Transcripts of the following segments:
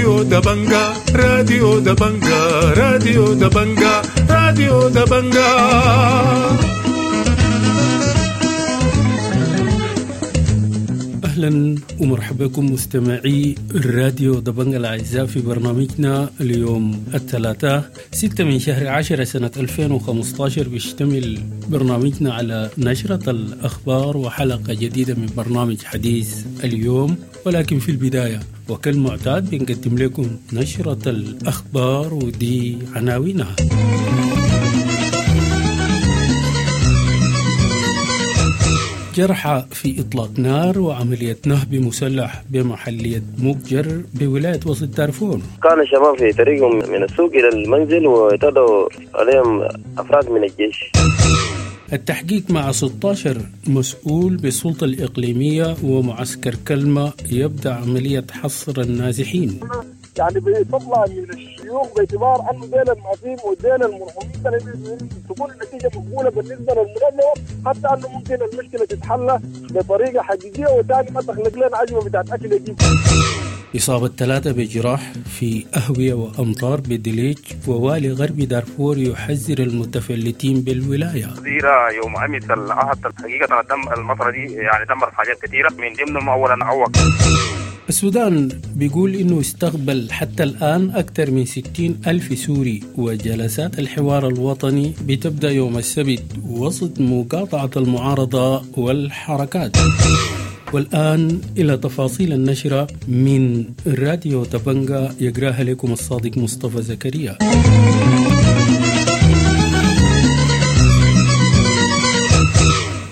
راديو دبنجا، راديو دبنجا، راديو دبنجا، راديو دبنجا. اهلا ومرحبا بكم مستمعي الراديو دبنجا الاعزاء في برنامجنا اليوم الثلاثاء 6 من شهر 10 سنة 2015. بيشتمل برنامجنا على نشرة الأخبار وحلقة جديدة من برنامج حديث اليوم، ولكن في البداية وكالمعتاد بنقدم لكم نشرة الأخبار ودي عناوينها. جرحى في إطلاق نار وعملية نهب مسلح بمحلية مكجر بولاية وسط دارفور. كان الشباب في طريقهم من السوق إلى المنزل واعتدوا عليهم أفراد من الجيش. التحقيق مع 16 مسؤول بالسلطة الإقليمية ومعسكر كلمة يبدأ عملية حصر النازحين. يعني بيطلع من الشيوخ باعتبار انه ديل المعفين وديل المرحومين تكون النتيجه مقبوله بالنسبه للمنظمه، حتى انه ممكن المشكله تتحل بطريقه حقيقيه وثاني ما تخلق لنا ازمه بتاعت اكل يجيب. إصابة 3 بجراح في أهوية وأمطار بدليج، ووالي غرب دارفور يحذر المتفلتين بالولاية. زيرة يوم أمس الأحد حقيقة المطرة دي يعني دمرت حاجات كثيرة، من ضمنهم أولا عوق. السودان بيقول إنه استقبل حتى الآن أكثر من 60 ألف سوري، وجلسات الحوار الوطني بتبدأ يوم السبت وسط مقاطعة المعارضة والحركات. والآن إلى تفاصيل النشرة من راديو تبنجا يقراها لكم الصادق مصطفى زكريا.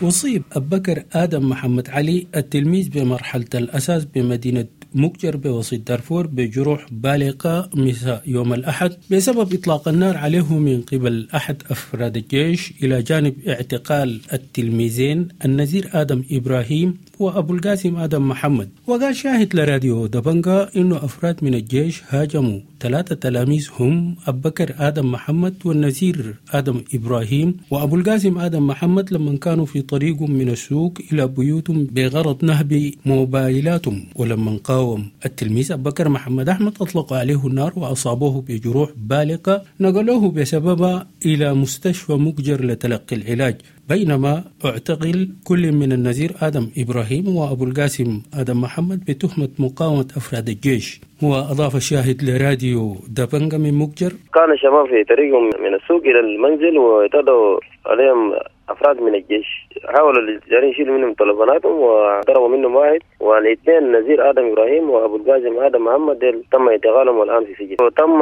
أصيب أبكر آدم محمد علي التلميذ بمرحلة الأساس بمدينة مكجر بوسط دارفور بجروح بالغة مساء يوم الأحد بسبب إطلاق النار عليه من قبل أحد أفراد الجيش، إلى جانب اعتقال التلميذين النزير آدم إبراهيم وأبو القاسم آدم محمد. وقال شاهد لراديو دبنجا إنه أفراد من الجيش هاجموا 3 تلاميذ هم أبكر آدم محمد والنزير آدم إبراهيم وأبو القاسم آدم محمد لما كانوا في طريقهم من السوق إلى بيوتهم بغرض نهب موبايلاتهم، ولما قاوم التلميذ أبكر محمد أحمد أطلق عليه النار وأصابوه بجروح بالغة نقلوه بسببها إلى مستشفى مكجر لتلقي العلاج، بينما اعتقل كل من النزير آدم إبراهيم وأبو القاسم آدم محمد بتهمة مقاومة أفراد الجيش. وأضاف الشاهد لراديو دبنجا من مكجر: كان الشباب في طريقهم من السوق إلى المنزل واعتدوا عليهم أفراد من الجيش، حاولوا الجارين يشيلوا منهم تلفوناتهم وضربوا منهم واحد، والاثنين نزير آدم إبراهيم وأبو القاسم آدم محمد تم اعتقالهم والآن في سجن. وتم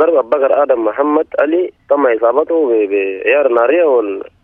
ضرب أبو بكر آدم محمد علي تم إصابته بعيار نارية،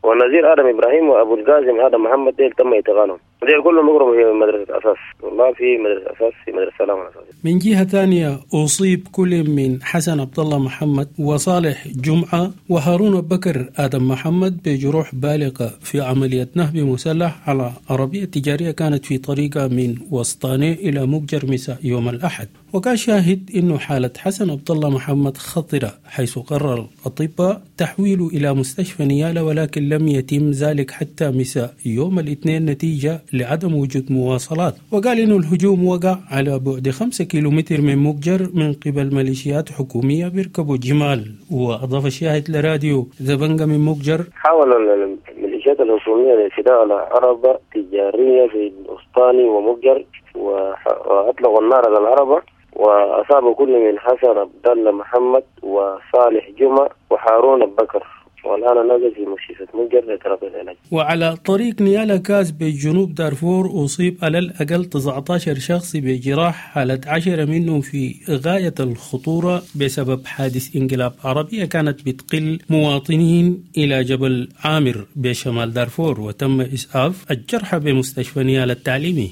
والنزير آدم إبراهيم وأبو القاسم آدم محمد ديل تم اعتقالهم، ديل كلهم يقروا في مدرسة أساس، والله في مدرسة أساس في مدرسة سلام الأساس. من جهة ثانية أصيب كل من حسن عبد الله محمد وصالح جمعة وهارون بكر آدم محمد بجروح بالغة في عملية نهب مسلح على عربية تجارية كانت في طريقة من وسطاني إلى مكجر مساء يوم الأحد. وكان شاهد أنه حالة حسن عبد الله محمد خطرة، حيث قرر الأطباء تحويله إلى مستشفى نيالا، ولكن لم يتم ذلك حتى مساء يوم الاثنين نتيجة لعدم وجود مواصلات. وقال إنه الهجوم وقع على بعد 5 كيلومتر من مكجر من قبل ميليشيات حكومية بيركبوا جمال. وأضاف الشاهد لراديو زبنجا من مكجر: حاول الميليشيات الحكومية الاعتداء على عربة تجارية في الأسطاني ومكجر وأطلقوا النار على العربة وأصابوا كل من حسن عبد الله محمد وصالح جمعة وهارون بكر، والآن نازل في مستشفى مكجر لتلقي العلاج. وعلى طريق نيالا كاس بجنوب دارفور أصيب على الأقل 19 شخص بجراح، حالة 10 منهم في غاية الخطورة بسبب حادث انقلاب عربية كانت بتقل مواطنين إلى جبل عامر بشمال دارفور، وتم إسعاف الجرحى بمستشفى نيالا التعليمي.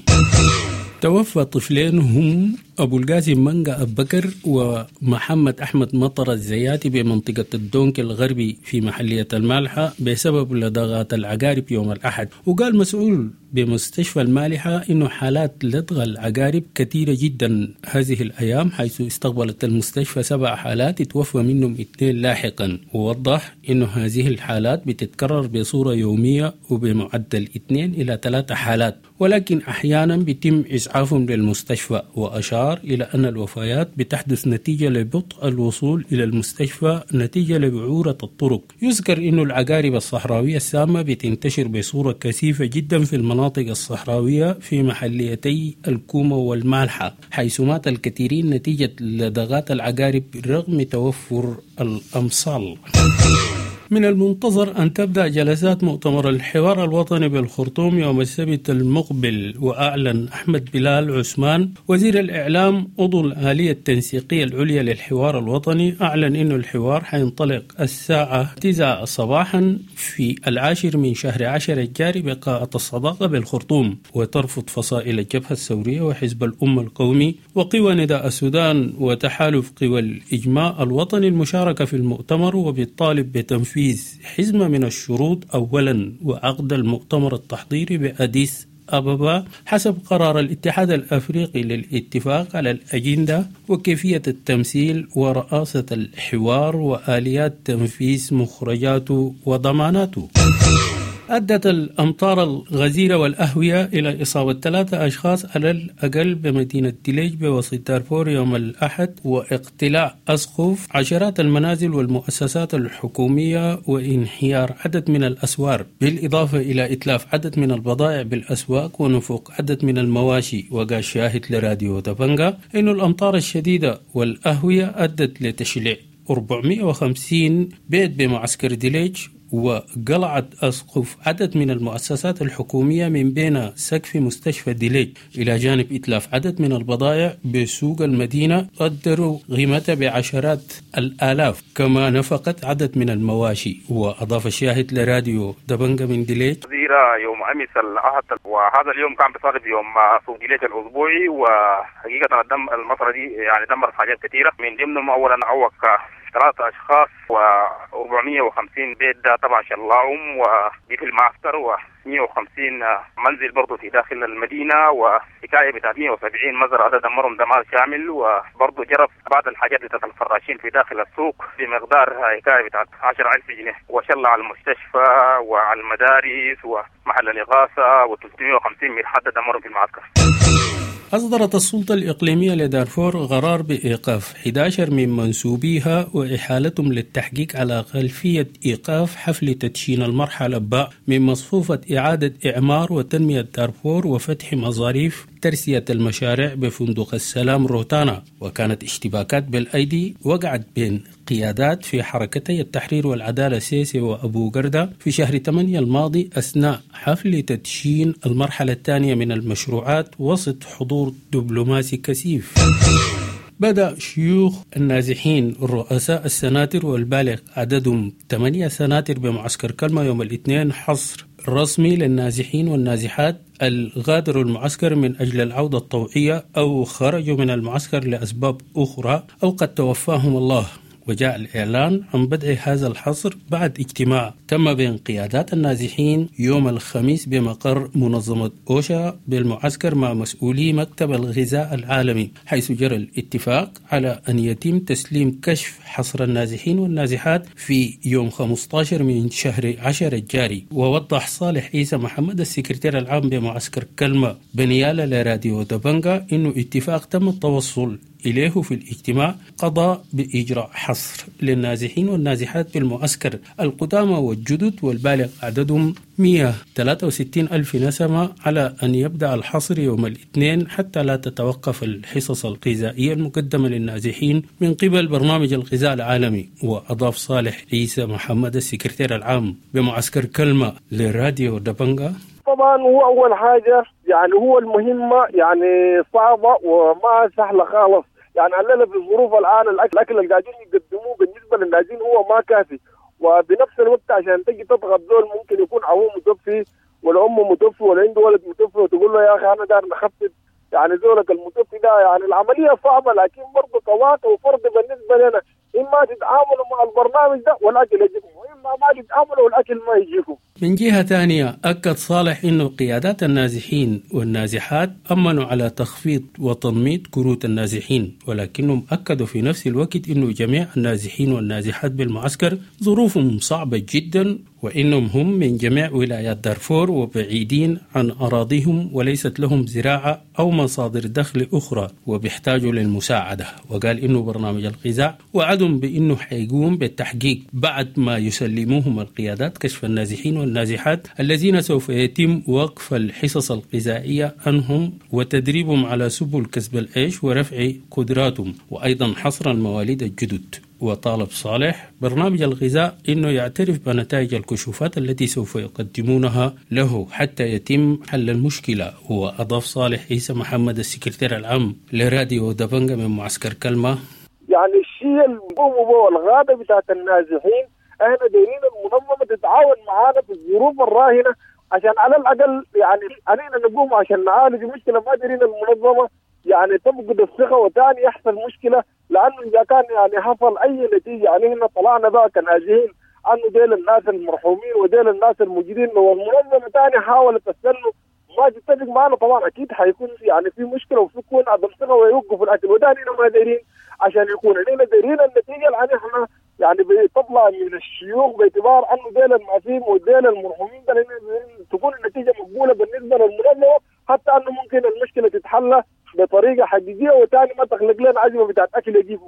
توفى طفلين هم أبو القاسم منقا أبكر ومحمد أحمد مطر الزياتي بمنطقة الدونك الغربي في محلية المالحة بسبب لدغات العقارب يوم الأحد. وقال مسؤول بمستشفى المالحة إنه حالات لدغ العقارب كثيرة جدا هذه الأيام، حيث استقبلت المستشفى 7 حالات توفى منهم 2 لاحقا. ووضح إنه هذه الحالات بتتكرر بصورة يومية وبمعدل 2 إلى 3 حالات، ولكن أحيانا بيتم إسعافهم للمستشفى. وأشار وأشار إلى أن الوفيات بتحدث نتيجة لبطء الوصول إلى المستشفى نتيجة لبعورة الطرق. يذكر أن العقارب الصحراوية السامة بتنتشر بصورة كثيفة جدا في المناطق الصحراوية في محليتي الكومة والمالحة، حيث مات الكثيرين نتيجة لدغات العقارب رغم توفر الأمصال. من المنتظر أن تبدأ جلسات مؤتمر الحوار الوطني بالخرطوم يوم السبت المقبل. وأعلن أحمد بلال عثمان وزير الإعلام عضو الآلية التنسيقية العليا للحوار الوطني، أعلن أن الحوار حينطلق الساعة 9 صباحا في 10 من شهر 10 الجاري بقاعة الصداقة بالخرطوم. وترفض فصائل الجبهة الثورية وحزب الأمة القومي وقوى نداء السودان وتحالف قوى الإجماع الوطني المشاركة في المؤتمر، وبالطالب بتنفيذ حزمة من الشروط أولا وعقد المؤتمر التحضيري بأديس أبابا حسب قرار الاتحاد الأفريقي للاتفاق على الأجندة وكيفية التمثيل ورئاسة الحوار وآليات تنفيذ مخرجاته وضماناته. أدت الأمطار الغزيرة والأهوية إلى إصابة 3 أشخاص على الأقل بمدينة دليج بوسط دارفور يوم الأحد، واقتلاع أسقف عشرات المنازل والمؤسسات الحكومية وانهيار عدد من الأسوار، بالإضافة إلى إتلاف عدد من البضائع بالأسواق ونفوق عدد من المواشي. وقال شاهد لراديو دبنجا إن الأمطار الشديدة والأهوية أدت لتشليع 450 بيت بمعسكر دليج، وقلعت أسقف عدد من المؤسسات الحكومية من بين سقف مستشفى ديليج، إلى جانب إتلاف عدد من البضائع بسوق المدينة قدروا قيمتها بعشرات الآلاف، كما نفقت عدد من المواشي. وأضاف الشاهد لراديو دبنجا من ديليج: يوم أمس الأحد، وهذا اليوم كان بصادف يوم سوق ديليج الأسبوعي، وحقيقة المطرة دي يعني دمرت حاجات كثيرة، من ضمنهم أولا عوق 3 أشخاص و450 بيت ده طبعا شلعهم ودي في المعسكر، و150 منزل برضه في داخل المدينة، وحكاية بتاعت 170 مزرعة ده دمرهم دمار شامل، وبرضه جرف بعض الحاجات بتاعت الفراشين في داخل السوق بمقدار حكاية بتاعت 10,000 جنيه، وشلع على المستشفى وعلى المدارس ومحل الإغاثة، و350 مرحلة دمرهم في المعسكر. أصدرت السلطة الإقليمية لدارفور قرار بإيقاف 11 من منسوبيها وإحالتهم للتحقيق على خلفية إيقاف حفل تدشين المرحلة باء من مصفوفة إعادة إعمار وتنمية دارفور وفتح مظاريف ترسية المشاريع بفندق السلام روتانا. وكانت اشتباكات بالأيدي وقعت بين قيادات في حركتي التحرير والعدالة سيسي وأبو قردة في شهر 8 الماضي أثناء حفل تدشين المرحلة الثانية من المشروعات وسط حضور دبلوماسي كثيف. بدأ شيوخ النازحين رؤساء السناتر والبالغ عددهم 8 سناتر بمعسكر كلمة يوم الاثنين حصر رسمي للنازحين والنازحات الغادروا المعسكر من أجل العودة الطوعية أو خرجوا من المعسكر لأسباب أخرى أو قد توفاهم الله. وجاء الإعلان عن بدء هذا الحصر بعد اجتماع تم بين قيادات النازحين يوم الخميس بمقر منظمة أوشا بالمعسكر مع مسؤولي مكتب الغذاء العالمي، حيث جرى الاتفاق على أن يتم تسليم كشف حصر النازحين والنازحات في يوم 15 من شهر 10 الجاري. ووضح صالح عيسى محمد السكرتير العام بمعسكر كلمة بنيالة لراديو دبنجا إنه اتفاق تم التوصل إليه في الاجتماع قضى بإجراء حصر للنازحين والنازحات بالمعسكر القدامى والجدد والبالغ عددهم 163 ألف نسمة، على أن يبدأ الحصر يوم الاثنين حتى لا تتوقف الحصص الغذائية المقدمة للنازحين من قبل برنامج الغذاء العالمي. وأضاف صالح عيسى محمد السكرتير العام بمعسكر كلمة لراديو دبنجا: طبعا هو أول حاجة يعني هو المهمة يعني صعبة وما سهلة خالص، يعني علينا في الظروف الآن الأكل اللي قاعدين يقدموه بالنسبة للنازحين هو ما كافي، وبنفس الوقت عشان تجي تضغط زول ممكن يكون أبوه متوفي ولا أمه متوفي ولا عنده ولد متوفي وتقول له يا أخي أنا دار نخفض يعني زولك المتوفي ده، يعني العملية صعبة، لكن برضه كواقع وفرض بالنسبة لنا إما تتعاملوا مع البرنامج ده والأكل يجيكم، وإما ما تتعاملوا والأكل ما يجيكم. من جهة ثانية أكد صالح أن قيادات النازحين والنازحات أمنوا على تخفيض وتنميط كروت النازحين، ولكنهم أكدوا في نفس الوقت أن جميع النازحين والنازحات بالمعسكر ظروفهم صعبة جدا وإنهم هم من جميع ولايات دارفور وبعيدين عن أراضيهم وليست لهم زراعة أو مصادر دخل أخرى وبيحتاجوا للمساعدة. وقال إنه برنامج الغذاء وعدهم بإنه حيقوم بالتحقيق بعد ما يسلموهم القيادات كشف النازحين والنازحات الذين سوف يتم وقف الحصص الغذائية عنهم وتدريبهم على سبل كسب العيش ورفع قدراتهم، وأيضا حصر المواليد الجدد. وطالب صالح برنامج الغذاء أنه يعترف بنتائج الكشوفات التي سوف يقدمونها له حتى يتم حل المشكلة. وأضاف صالح عيسى محمد السكرتير العام لراديو دبنجة من معسكر كلمة: يعني الشيء اللي هو الغابة بتاعت النازحين، احنا دايرين المنظمة تتعاون معانا في الظروف الراهنة عشان على الأقل يعني علينا نقوم عشان نعالج المشكلة. ما دايرين المنظمة يعني تفقد الثقة وتاني يحصل مشكلة، لأنه إذا كان يعني حصل أي نتيجة يعني احنا طلعنا بقى كنازحين أنه ديل الناس المرحومين وديل الناس الموجودين، والمنظمة تاني حاولت تستنوا ما تتفق معنا، طبعا أكيد حيكون يعني في مشكلة وفي يكون عدم ثقة ويوقفوا الأكل. وتاني ما دايرين عشان يكون علينا دايرين النتيجة لأن احنا يعني بتطلع من الشيوخ باعتبار انه ديل المعفين وديل المرحومين، لان تكون النتيجه مقبوله بالنسبه للمنظمه حتى انه ممكن المشكله تتحل بطريقه حقيقيه وتاني ما تخلق لنا ازمه بتاعت اكل يجيبوا.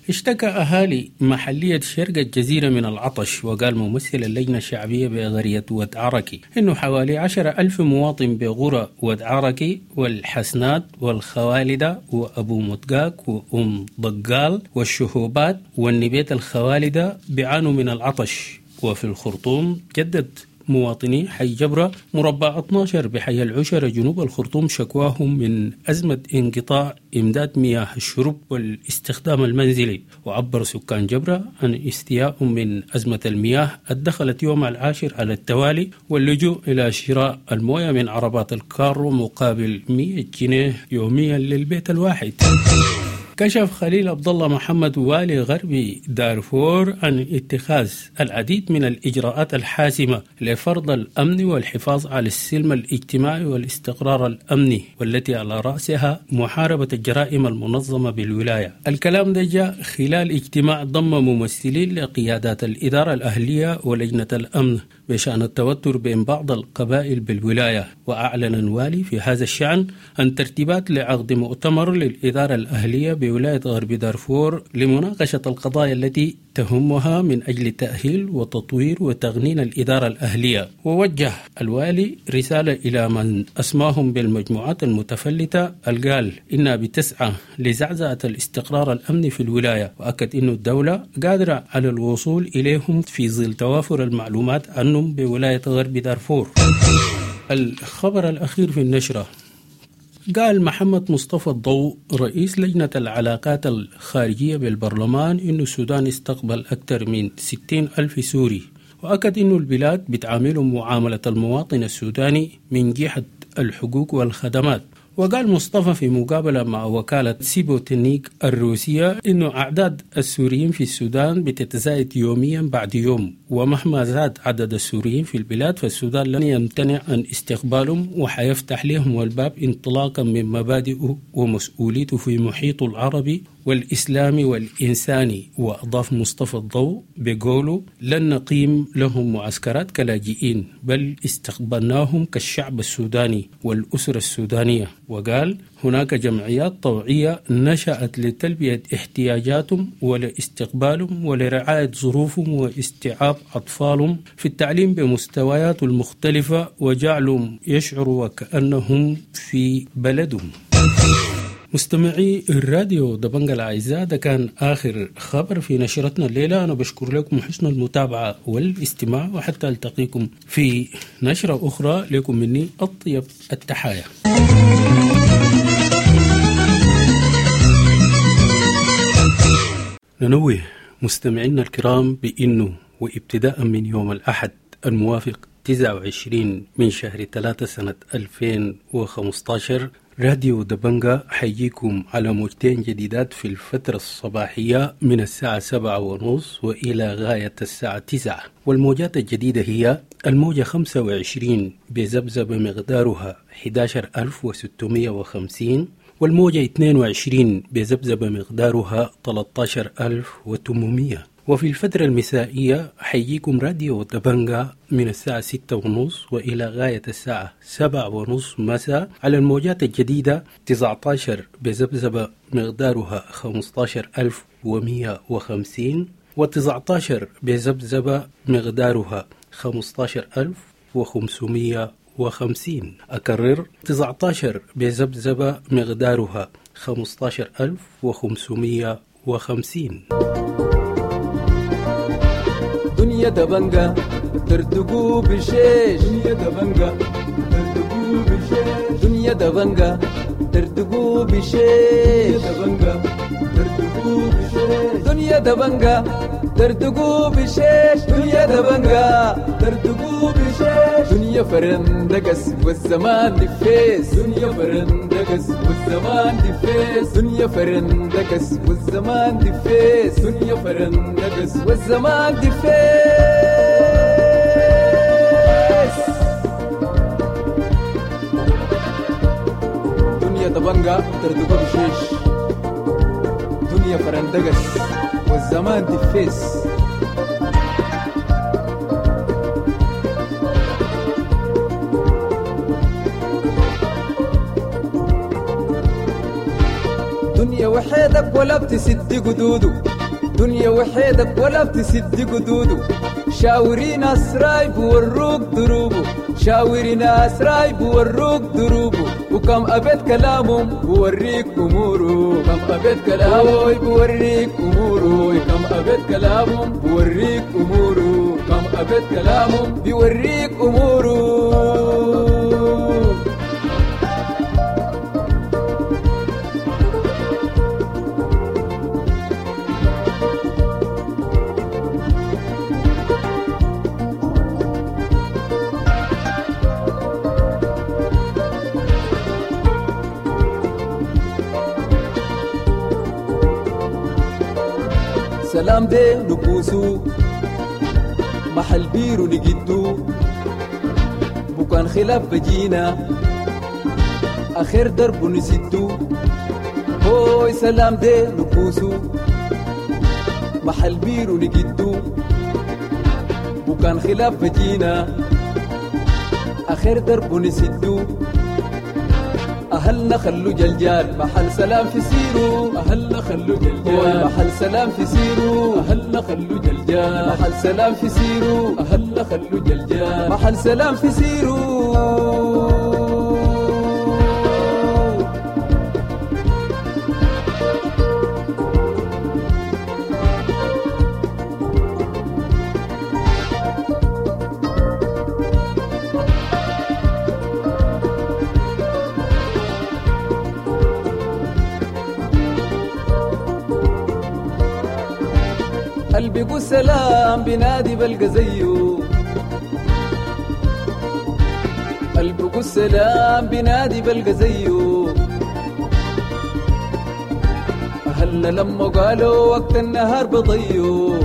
اشتكى أهالي محلية شرق الجزيرة من العطش، وقال ممثل اللجنة الشعبية بغرية ود عركي إنه حوالي 10,000 مواطن بغرى ود عركي والحسنات والخوالدة وأبو مدقاق وأم ضقال والشهوبات والنبيت الخوالدة بيعانوا من العطش. وفي الخرطوم جدد مواطني حي جبرة مربع 12 بحي العشرة جنوب الخرطوم شكواهم من أزمة انقطاع إمداد مياه الشرب والاستخدام المنزلي. وعبر سكان جبرة عن استيائهم من أزمة المياه الدخلت يوم العاشر على التوالي واللجوء إلى شراء الموية من عربات الكارو مقابل 100 جنيه يوميا للبيت الواحد. كشف خليل عبد الله محمد والي غربي دارفور عن اتخاذ العديد من الإجراءات الحاسمة لفرض الأمن والحفاظ على السلم الاجتماعي والاستقرار الأمني، والتي على رأسها محاربة الجرائم المنظمة بالولاية. الكلام ده جاء خلال اجتماع ضم ممثلين لقيادات الإدارة الأهلية ولجنة الأمن بشأن التوتر بين بعض القبائل بالولاية. وأعلن الوالي في هذا الشأن عن ترتيبات لعقد مؤتمر للإدارة الأهلية بولاية غرب دارفور لمناقشة القضايا التي تهمها من أجل تأهيل وتطوير وتغنين الإدارة الأهلية. ووجه الوالي رسالة إلى من أسماهم بالمجموعات المتفلتة القال إنها بتسعى لزعزعة الاستقرار الأمني في الولاية، وأكد أن الدولة قادرة على الوصول إليهم في ظل توافر المعلومات عنهم بولاية غرب دارفور. الخبر الأخير في النشرة: قال محمد مصطفى الضوء رئيس لجنة العلاقات الخارجية بالبرلمان إن السودان استقبل أكثر من 60,000 سوري، وأكد إن البلاد بتعاملهم معاملة المواطن السوداني من جهة الحقوق والخدمات. وقال مصطفى في مقابلة مع وكالة سيبوتنيك الروسية إنه أعداد السوريين في السودان بتتزايد يوميا بعد يوم، ومهما زاد عدد السوريين في البلاد فالسودان لن يمتنع عن استقبالهم وحيفتح لهم الباب انطلاقا من مبادئه ومسؤوليته في محيطه العربي والإسلامي والإنساني. وأضاف مصطفى الضوء بقوله: لن نقيم لهم معسكرات كلاجئين، بل استقبلناهم كالشعب السوداني والأسرة السودانية. وقال: هناك جمعيات طوعية نشأت لتلبية احتياجاتهم ولاستقبالهم ولرعاية ظروفهم واستيعاب أطفالهم في التعليم بمستويات المختلفة وجعلهم يشعروا وكأنهم في بلدهم. مستمعي الراديو دبنجة الأعزاء، ده كان آخر خبر في نشرتنا الليلة. أنا بشكر لكم حسن المتابعة والاستماع، وحتى ألتقيكم في نشرة أخرى. لكم مني أطيب التحايا. ننوه مستمعينا الكرام بأنه وابتداء من يوم الأحد الموافق 29 من شهر 3 سنة 2015 راديو دبنجة حيجيكم على موجتين جديدات في الفترة الصباحية من الساعة 7:30 وإلى غاية الساعة 9. والموجات الجديدة هي الموجة 25 بذبذبة مقدارها 11650، والموجة 22 بذبذبة مقدارها 13800. وفي الفترة المسائية حيجيكم راديو دبنجا من الساعة 6:30 وإلى غاية الساعة 7:30 مساء على الموجات الجديدة 19 بذبذبة مقدارها 15150 و19 بذبذبة مقدارها 15550. أكرر 19 بذبذبة مقدارها 15550. دنيا دبنجا ترتقو بشيش، دنيا دبنجا ترتقو بشيش، دنيا دبنجا ترتقو بشيش، دبنجا ترتقو بشيش، دنيا دبنجا ترتقو بشيش، دنيا دبنجا ترتقو بشيش، دنيا فرندقس والزمان دفيس، دنيا فرندقس والزمان دفيس، دنيا فرندقس والزمان دفيس، دنيا فرندقس والزمان دفيس. دنيا دبنجا ترتقو بشيش، دنيا فرندقس والزمان دفيس. دنيا وحيدك ولا بتسد قدوده، دنيا وحيدك ولا بتسد قدوده، شاوري ناس رايب وروك دروبه، شاوري ناس رايب وروك دروبه، وكم أبيت كلامهم بوريك أموره، كم أبيت كلامه بوريك أموره، كم أبيت كلامهم بوريك أموره، كم أبيت كلامهم بيوريك أموره. سلام دي نبوسو محل بيرو نجدو، بكان خلاف بجينا آخر درب نسدو، هوي سلام دي نبوسو محل بيرو نجدو، بكان خلاف بجينا آخر درب نسدو، أهلنا خلو جلجال محل سلام في سيرو، أهلنا خلو جلجال محل سلام في سيرو، أهلنا خلو جلجال محل سلام في سيرو، أهلنا خلو جلجال محل سلام في سيرو. قلبي قول سلام بنادي بلقى زيه، قلبي قول سلام بنادي بلقى زيه، أهلنا لما قالوا وقت النهار بضيو،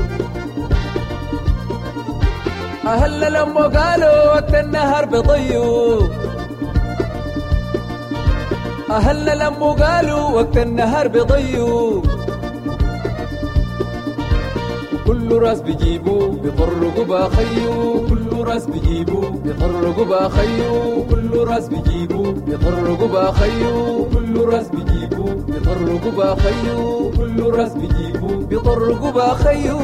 أهلنا لما قالوا وقت النهار بضيو، أهلنا لما قالوا وقت النهار بضيو، كل راس بيجيبو بيطرقوا باخيو، كل راس بيجيبو بيطرقوا باخيو، كل راس بيجيبو بيطرقوا باخيو، كل راس بيجيبو بيطرقوا باخيو، كل راس بيجيبو بيطرقوا باخيو.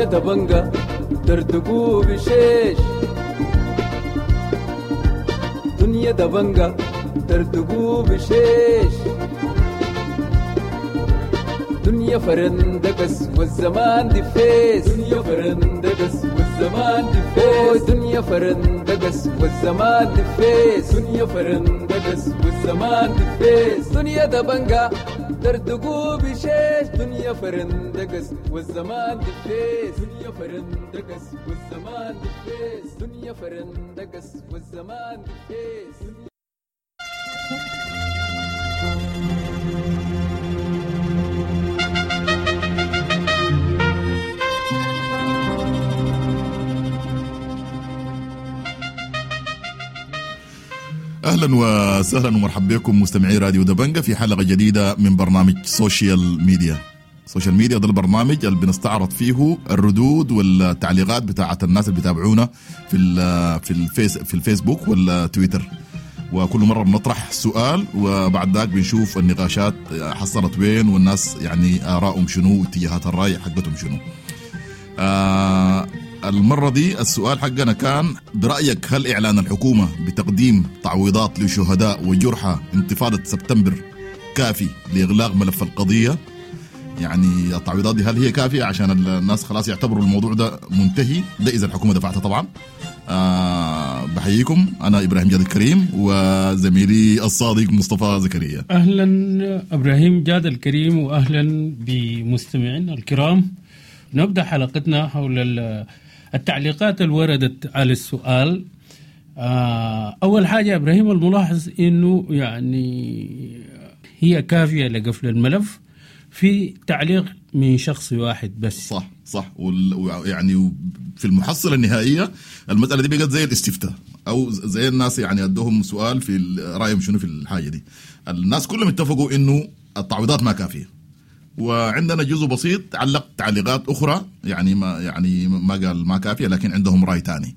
دبنجا ترتقو بشيش، دنيا دبنجا ترتقو بشيش، دنيا فرندقس والزمان دفيس، دنيا فرندقس والزمان دفيس، دنيا فرندقس والزمان دفيس، دنيا فرندقس والزمان دفيس، دنيا دبنجا دردقوا بشيش دنيا فرندقس والزمان دفيس دنيا فرندقس والزمان دفيس دنيا فرندقس والزمان دفيس. اهلا وسهلا ومرحبا بكم مستمعي راديو دبنجة في حلقة جديدة من برنامج social media. social media ده البرنامج اللي بنستعرض فيه الردود والتعليقات بتاعه الناس اللي بيتابعونا في الفيسبوك والتويتر، وكل مرة بنطرح سؤال وبعد ذاك بنشوف النقاشات حصلت وين والناس يعني ارائهم شنو واتجاهات الراي حقتهم شنو. المرة دي السؤال حقنا كان: برأيك هل إعلان الحكومة بتقديم تعويضات لشهداء وجرحى انتفاضة سبتمبر كافي لإغلاق ملف القضية؟ يعني التعويضات دي هل هي كافية عشان الناس خلاص يعتبروا الموضوع ده منتهي؟ ده إذا الحكومة دفعتها طبعا. بحييكم، أنا إبراهيم جاد الكريم وزميلي الصادق مصطفى زكريا. أهلا إبراهيم جاد الكريم وأهلا بمستمعينا الكرام. نبدأ حلقتنا حول التعليقات اللي وردت على السؤال. أول حاجة إبراهيم، الملاحظ إنه يعني هي كافية لقفل الملف في تعليق من شخص واحد بس. صح يعني في المحصلة النهائية المسألة دي بقت زي الاستفتاء، أو زي الناس يعني أدوهم سؤال في رأيهم شنو في الحاجة دي. الناس كلهم اتفقوا إنه التعويضات ما كافية، وعندنا جزء بسيط علق تعليقات أخرى يعني ما قال ما كافية، لكن عندهم رأي تاني.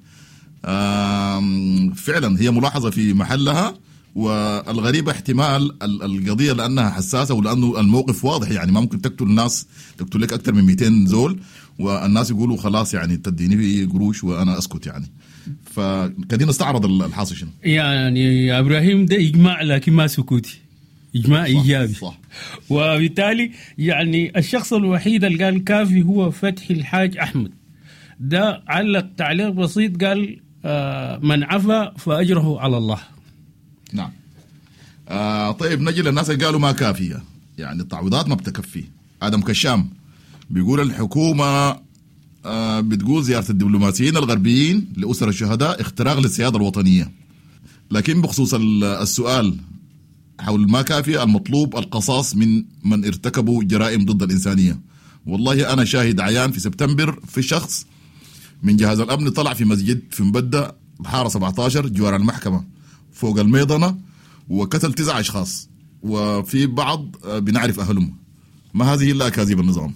فعلا هي ملاحظة في محلها، والغريبة احتمال القضية لأنها حساسة ولأنه الموقف واضح، يعني ما ممكن تقتل الناس، تقتل لك أكثر من 200 زول والناس يقولوا خلاص يعني تديني في قروش وأنا أسكت يعني. فكدينا نستعرض الحاصل شنو. يعني يا إبراهيم ده إجماع لكن ما سكوتي، إجماع إيجابي. صح. وبالتالي يعني الشخص الوحيد اللي قال كافي هو فتحي الحاج أحمد. ده علق تعليق بسيط قال من عفا فأجره على الله. نعم. طيب نجي للناس اللي قالوا ما كافية، يعني التعويضات ما بتكفي. آدم كشام بيقول الحكومة بتقول زيارة الدبلوماسيين الغربيين لأسر الشهداء اختراق للسيادة الوطنية، لكن بخصوص السؤال حول ما كافية المطلوب القصاص من ارتكبوا جرائم ضد الإنسانية. والله أنا شاهد عيان في سبتمبر في شخص من جهاز الأمن طلع في مسجد في مبدأ الحارة 17 جوار المحكمة فوق الميضنة وقتل 9 أشخاص، وفي بعض بنعرف أهلهم. ما هذه إلا أكاذيب النظام.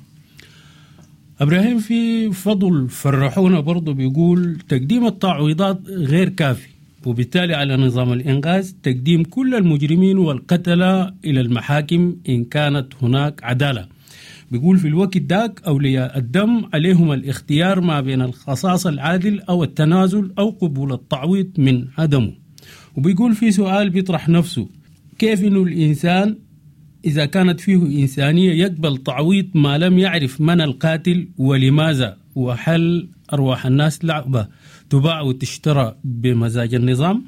إبراهيم في فضل فرحونا برضو بيقول تقديم التعويضات غير كافي، وبالتالي على نظام الإنقاذ تقديم كل المجرمين والقتلة إلى المحاكم إن كانت هناك عدالة. بيقول في الوقت داك أولياء الدم عليهم الاختيار ما بين القصاص العادل أو التنازل أو قبول التعويض من عدمه. وبيقول في سؤال بيطرح نفسه: كيف إنه الإنسان إذا كانت فيه إنسانية يقبل تعويض ما لم يعرف من القاتل ولماذا؟ وهل أرواح الناس لعبة تباع وتشترى بمزاج النظام؟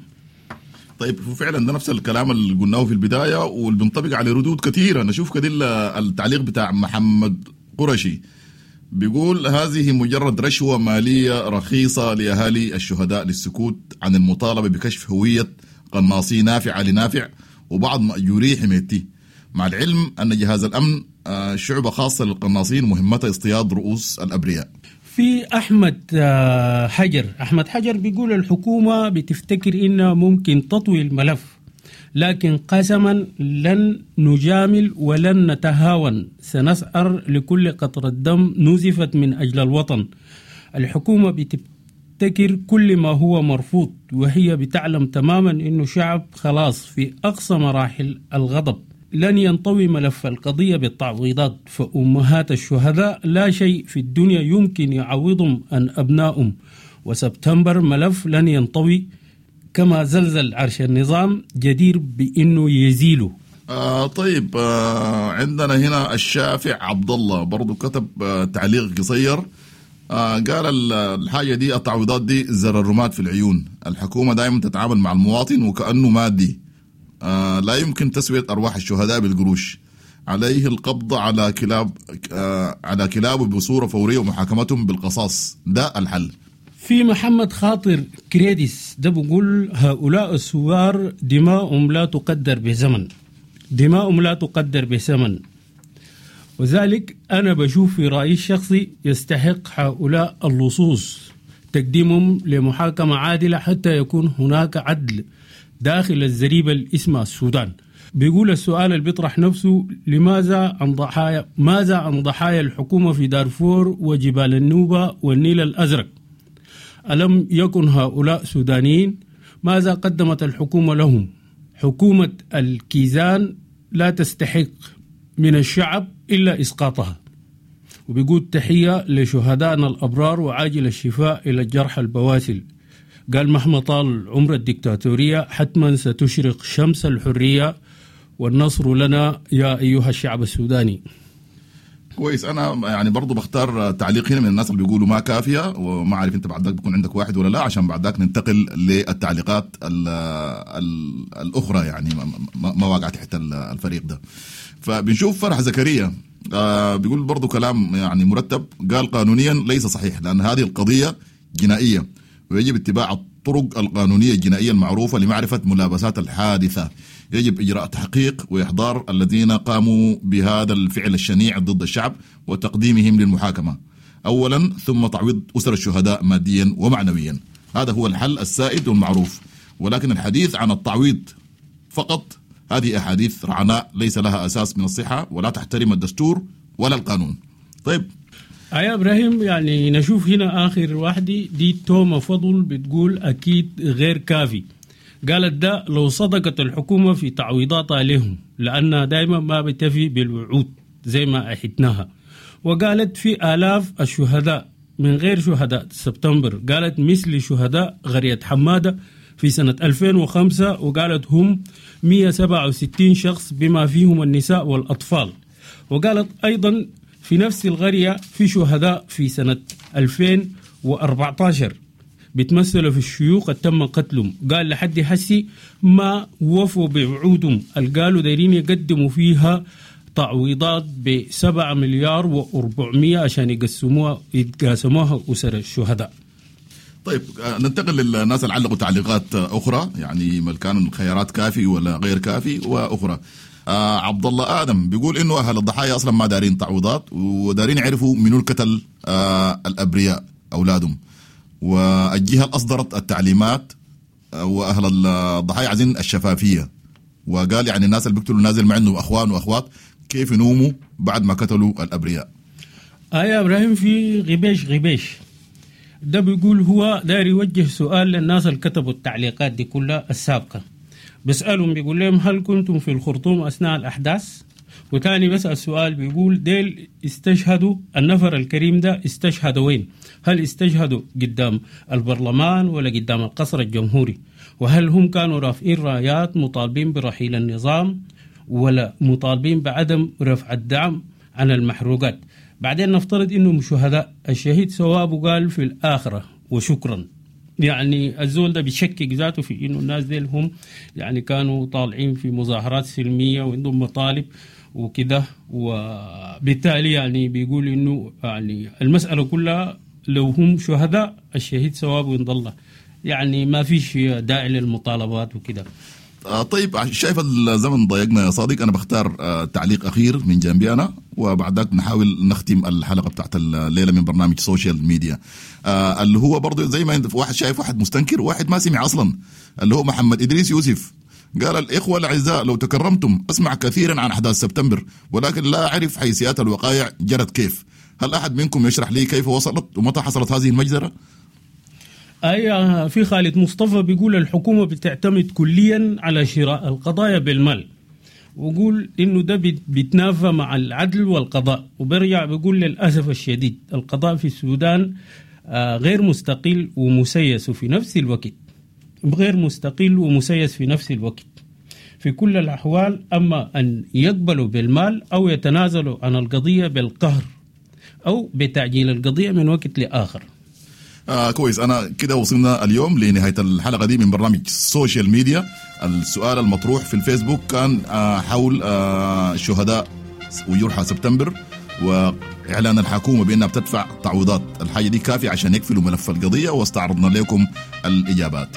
طيب فعلا ده نفس الكلام اللي قلناه في البداية واللي بينطبق على ردود كثيرة. نشوف كده التعليق بتاع محمد قرشي بيقول هذه مجرد رشوة مالية رخيصة لأهالي الشهداء للسكوت عن المطالبة بكشف هوية قناصي نافع لنافع وبعض مأجوري حميتي، مع العلم أن جهاز الأمن شعبة خاصة للقناصين مهمتها اصطياد رؤوس الأبرياء. في أحمد حجر، أحمد حجر بيقول الحكومة بتفتكر إنها ممكن تطوي الملف، لكن قسما لن نجامل ولن نتهاون، سنسعر لكل قطرة دم نزفت من أجل الوطن. الحكومة بتبتكر كل ما هو مرفوض، وهي بتعلم تماما إنه شعب خلاص في أقصى مراحل الغضب، لن ينطوي ملف القضية بالتعويضات، فأمهات الشهداء لا شيء في الدنيا يمكن يعوضهم عن أبنائهم، وسبتمبر ملف لن ينطوي كما زلزل عرش النظام جدير بأنه يزيله. طيب عندنا هنا الشافع عبد الله برضو كتب تعليق قصير، قال الحاجة دي التعويضات دي زر الرماد في العيون، الحكومة دائما تتعامل مع المواطن وكأنه مادي، لا يمكن تسوية أرواح الشهداء بالقروش، عليه القبض على كلاب على كلابه بصورة فورية ومحاكمتهم بالقصاص، ده الحل. في محمد خاطر كريديس ده بيقول هؤلاء الثوار دماؤهم لا تقدر بزمن، دماؤهم لا تقدر بثمن، وذلك أنا بشوف في رأيي الشخصي يستحق هؤلاء اللصوص تقديمهم لمحاكمة عادلة حتى يكون هناك عدل داخل الزريبة اللي اسمها السودان. بيقول السؤال اللي بيطرح نفسه، لماذا عن ضحايا ماذا عن ضحايا الحكومة في دارفور وجبال النوبة والنيل الأزرق؟ ألم يكن هؤلاء سودانيين؟ ماذا قدمت الحكومة لهم؟ حكومة الكيزان لا تستحق من الشعب إلا إسقاطها. وبيقول تحية لشهدائنا الأبرار وعاجل الشفاء إلى الجرحى البواسل. قال مهما طال عمر الدكتاتورية حتما ستشرق شمس الحرية والنصر لنا يا أيها الشعب السوداني. كويس. انا يعني برضو بختار تعليق هنا من الناس اللي بيقولوا ما كافيه، وما عارف انت بعد ذاك بيكون عندك واحد ولا لا، عشان بعد ذاك ننتقل للتعليقات ال ال الاخرى، يعني ما واقعه تحت الفريق ده. فبنشوف فرح زكريا بيقول برضو كلام يعني مرتب، قال قانونيا ليس صحيح لان هذه القضية جنائية ويجب اتباع الطرق القانونية الجنائية المعروفة لمعرفة ملابسات الحادثة، يجب إجراء تحقيق وإحضار الذين قاموا بهذا الفعل الشنيع ضد الشعب وتقديمهم للمحاكمة أولا، ثم تعويض أسر الشهداء ماديا ومعنويا. هذا هو الحل السائد والمعروف، ولكن الحديث عن التعويض فقط هذه أحاديث رعناء ليس لها أساس من الصحة ولا تحترم الدستور ولا القانون. طيب يا إبراهيم، يعني نشوف هنا آخر واحدة دي توما فضل بتقول أكيد غير كافي. قالت ده لو صدقت الحكومة في تعويضاتها لهم، لأنها دائما ما بتفي بالوعود زي ما أحدناها. وقالت في آلاف الشهداء من غير شهداء سبتمبر، قالت مثل شهداء غرية حمادة في سنة 2005، وقالت هم 167 شخص بما فيهم النساء والأطفال. وقالت أيضا في نفس الغرية في شهداء في سنة 2014 بيتمثلوا في الشيوخ تم قتلهم. قال لحد حسي ما وفوا بوعودهم اللي قالوا دايرين يقدموا فيها تعويضات ب7,400,000,000 عشان يتقاسموها أسر الشهداء. طيب ننتقل للناس اللي علقوا تعليقات أخرى، يعني ما كان الخيارات كافي ولا غير كافي وأخرى. عبد الله آدم بيقول إنه أهل الضحايا أصلا ما دارين تعويضات ودارين يعرفوا منو القتل الأبرياء أولادهم، والجهة اللي أصدرت التعليمات، وأهل الضحايا عايزين الشفافية. وقال يعني الناس اللي بيقتلوا نازل مع عندهم أخوان وأخوات كيف ينوموا بعد ما قتلوا الأبرياء. يا إبراهيم في غبيش ده بيقول هو داير يوجه سؤال للناس اللي كتبوا التعليقات دي كلها السابقة، بيسألهم بيقول لهم هل كنتم في الخرطوم أثناء الأحداث؟ وتاني بسأل سؤال بيقول ديل استشهدوا، النفر الكريم ده استشهدوا وين؟ هل استشهدوا قدام البرلمان ولا قدام القصر الجمهوري؟ وهل هم كانوا رافعين رايات مطالبين برحيل النظام ولا مطالبين بعدم رفع الدعم عن المحروقات؟ بعدين نفترض انهم شهداء، الشهيد ثوابه قال في الآخرة وشكرا. يعني الزول ده بيشكك ذاته في انه الناس ديل هم يعني كانوا طالعين في مظاهرات سلمية وعندهم مطالب وكده، وبالتالي يعني بيقول انه يعني المسألة كلها لو هم شهداء الشهيد ثوابه عند الله، يعني ما فيش داعي للمطالبات وكده. طيب شايف الزمن ضايقنا يا صادق، أنا بختار تعليق أخير من جنبي أنا، وبعد ذاك نحاول نختم الحلقة بتاعت الليلة من برنامج social media، اللي هو برضه زي ما واحد شايف واحد مستنكر واحد ما سمع أصلا، اللي هو محمد إدريس يوسف قال الإخوة الأعزاء لو تكرمتم أسمع كثيرا عن أحداث سبتمبر ولكن لا أعرف حيثيات الوقائع جرت كيف، هل أحد منكم يشرح لي كيف وصلت ومتى حصلت هذه المجزرة؟ أي في خالد مصطفى بيقول الحكومة بتعتمد كليا على شراء القضايا بالمال، وقول إنه ده بيتنافى مع العدل والقضاء. وبرجع بيقول للأسف الشديد القضاء في السودان غير مستقل ومسيس في نفس الوقت، غير مستقل ومسيس في نفس الوقت في كل الأحوال، أما أن يقبلوا بالمال أو يتنازلوا عن القضية بالقهر أو بتعجيل القضية من وقت لآخر. كويس، أنا كده وصلنا اليوم لنهاية الحلقة دي من برنامج social media. السؤال المطروح في الفيسبوك كان حول شهداء وجرحى سبتمبر وإعلان الحكومة بأنها بتدفع تعويضات، الحاجة دي كافية عشان يقفلوا ملف القضية؟ واستعرضنا لكم الإجابات.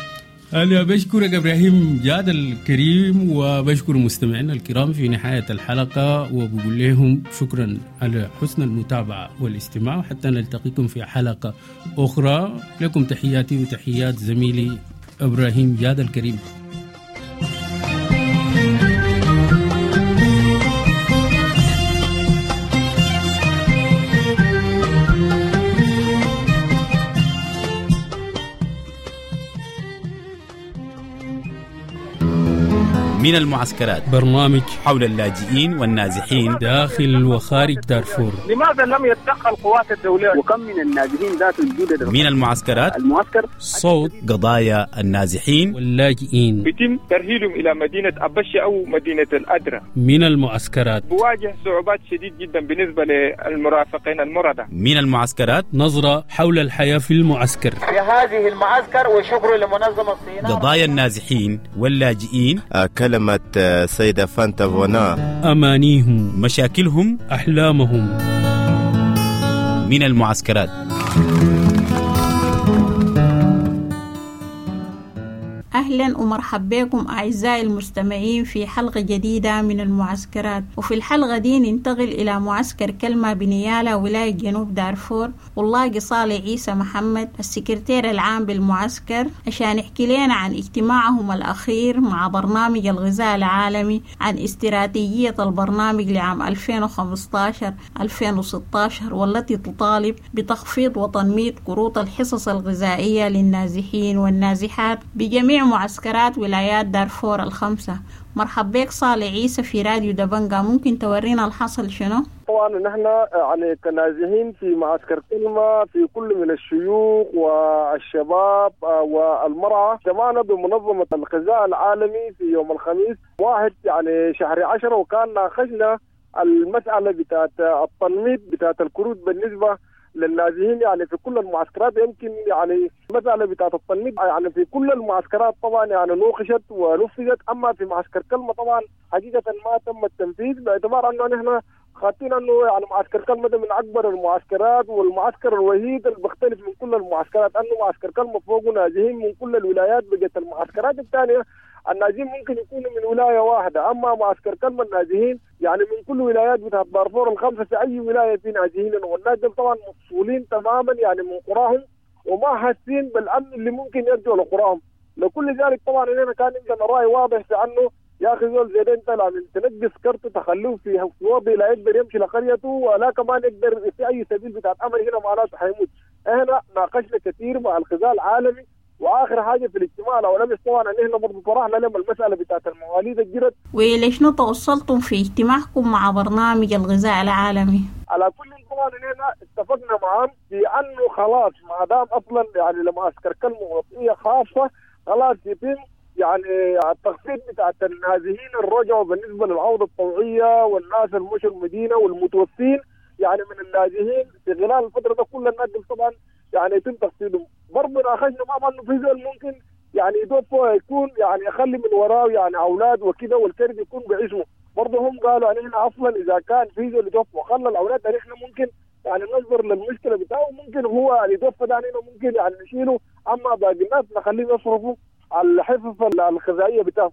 أنا بشكرك إبراهيم جاد الكريم، وبشكر مستمعينا الكرام في نهاية الحلقة، وبقول لهم شكرا على حسن المتابعة والاستماع، حتى نلتقيكم في حلقة أخرى. لكم تحياتي وتحيات زميلي إبراهيم جاد الكريم. من المعسكرات، برنامج حول اللاجئين والنازحين داخل وخارج دارفور. لماذا لم يتدخل قوات الدولة؟ وكم من النازحين ذات الجدد من المعسكرات؟ المعسكر صوت قضايا النازحين واللاجئين، بيتم ترهيلهم إلى مدينة أبشة أو مدينة الأدرة. من المعسكرات بواجه صعوبات شديد جدا بالنسبة للمرافقين المرضى. من المعسكرات نظرة حول الحياة في المعسكر، في هذه المعسكر، وشكر لمنظمة الصينية. قضايا النازحين واللاجئين، كلمة سيدة فانتا فونا، أمانيهم، مشاكلهم، أحلامهم. من المعسكرات. أهلا ومرحبا بكم أعزائي المستمعين في حلقة جديدة من المعسكرات. وفي الحلقة دي ننتقل إلى معسكر كلمة بنيالا ولاية جنوب دارفور، واللاقي صالح عيسى محمد السكرتير العام بالمعسكر عشان يحكي لنا عن اجتماعهم الأخير مع برنامج الغذاء العالمي، عن استراتيجية البرنامج لعام 2015-2016 والتي تطالب بتخفيض وتنميط كروت الحصص الغذائية للنازحين والنازحات بجميع معسكرات ولايات دارفور الخمسة. مرحب بك صالح عيسى في راديو دبنجا، ممكن تورينا الحصل شنو؟ طبعا نحن يعني كنازحين في معسكر كلمة في كل من الشيوخ والشباب والمرأة اجتمعنا بمنظمة الغذاء العالمي في يوم الخميس 1 يعني شهر 10، وكان ناقشنا المسألة بتاعت التنميط بتاعت الكروت بالنسبة للنازحين يعني في كل المعسكرات. يمكن يعني المسألة بتاعت التنميط يعني في كل المعسكرات طبعا يعني نوقشت ونفذت، أما في معسكر كلمة طبعا حقيقة ما تم التنفيذ، باعتبار أنه نحن خاطين أنه يعني معسكر كلمة ده من أكبر المعسكرات والمعسكر الوحيد اللي بيختلف من كل المعسكرات، أنه معسكر كلمة فوقه نازحين من كل الولايات. بقت المعسكرات الثانية النازحين ممكن يكونوا من ولاية واحدة، أما معسكر كلمة النازحين يعني من كل ولايات بتاعت دارفور الخمسة في أي ولاية في نازحين، والناس دول طبعا مفصولين تماما يعني من قراهم وما حاسين بالأمن اللي ممكن يرجعوا لقراهم. لكل ذلك طبعا هنا كان عندنا رأي واضح في أنه يا أخي زول زي ده أنت لازم تنقص كرته تخلوه في وضع لا يقدر يمشي لقريته ولا كمان يقدر في أي سبيل بتاعت أمر، هنا معناته حيموت. هنا ناقشنا كثير مع الغذاء العالمي، واخر حاجه في الاجتماع لو لم طبعا ان احنا برضه طرحنا لهم المساله بتاعت المواليد الجدد. وليش توصلتم في اجتماعكم مع برنامج الغذاء العالمي؟ على كل طبعا هنا اتفقنا معهم في انه خلاص ما دام اصلا يعني لمعسكر كلمه وضعيه خاصه خلاص يتم يعني التخفيض بتاعت النازحين الرجعوا بالنسبه للعوده الطوعيه والناس المشوا المدينه والمتوفين يعني من النازحين في خلال الفتره ده كل الناس طبعا يعني يتم تخفيضهم. برضه ناقشنا معهم انه في زول ممكن يعني يتوفى يكون يعني يخلي من وراه يعني اولاد وكده والكرد يكون بعزمه، برضه هم قالوا يعني احنا اصلا اذا كان في زول يتوفى وخلى الاولاد يعني احنا ممكن يعني ننظر للمشكله بتاعه، ممكن هو اللي يتوفى ده يعني ممكن يعني نشيله، اما باقي الناس نخليهم يصرفوا على الحصص الغذائيه بتاعهم.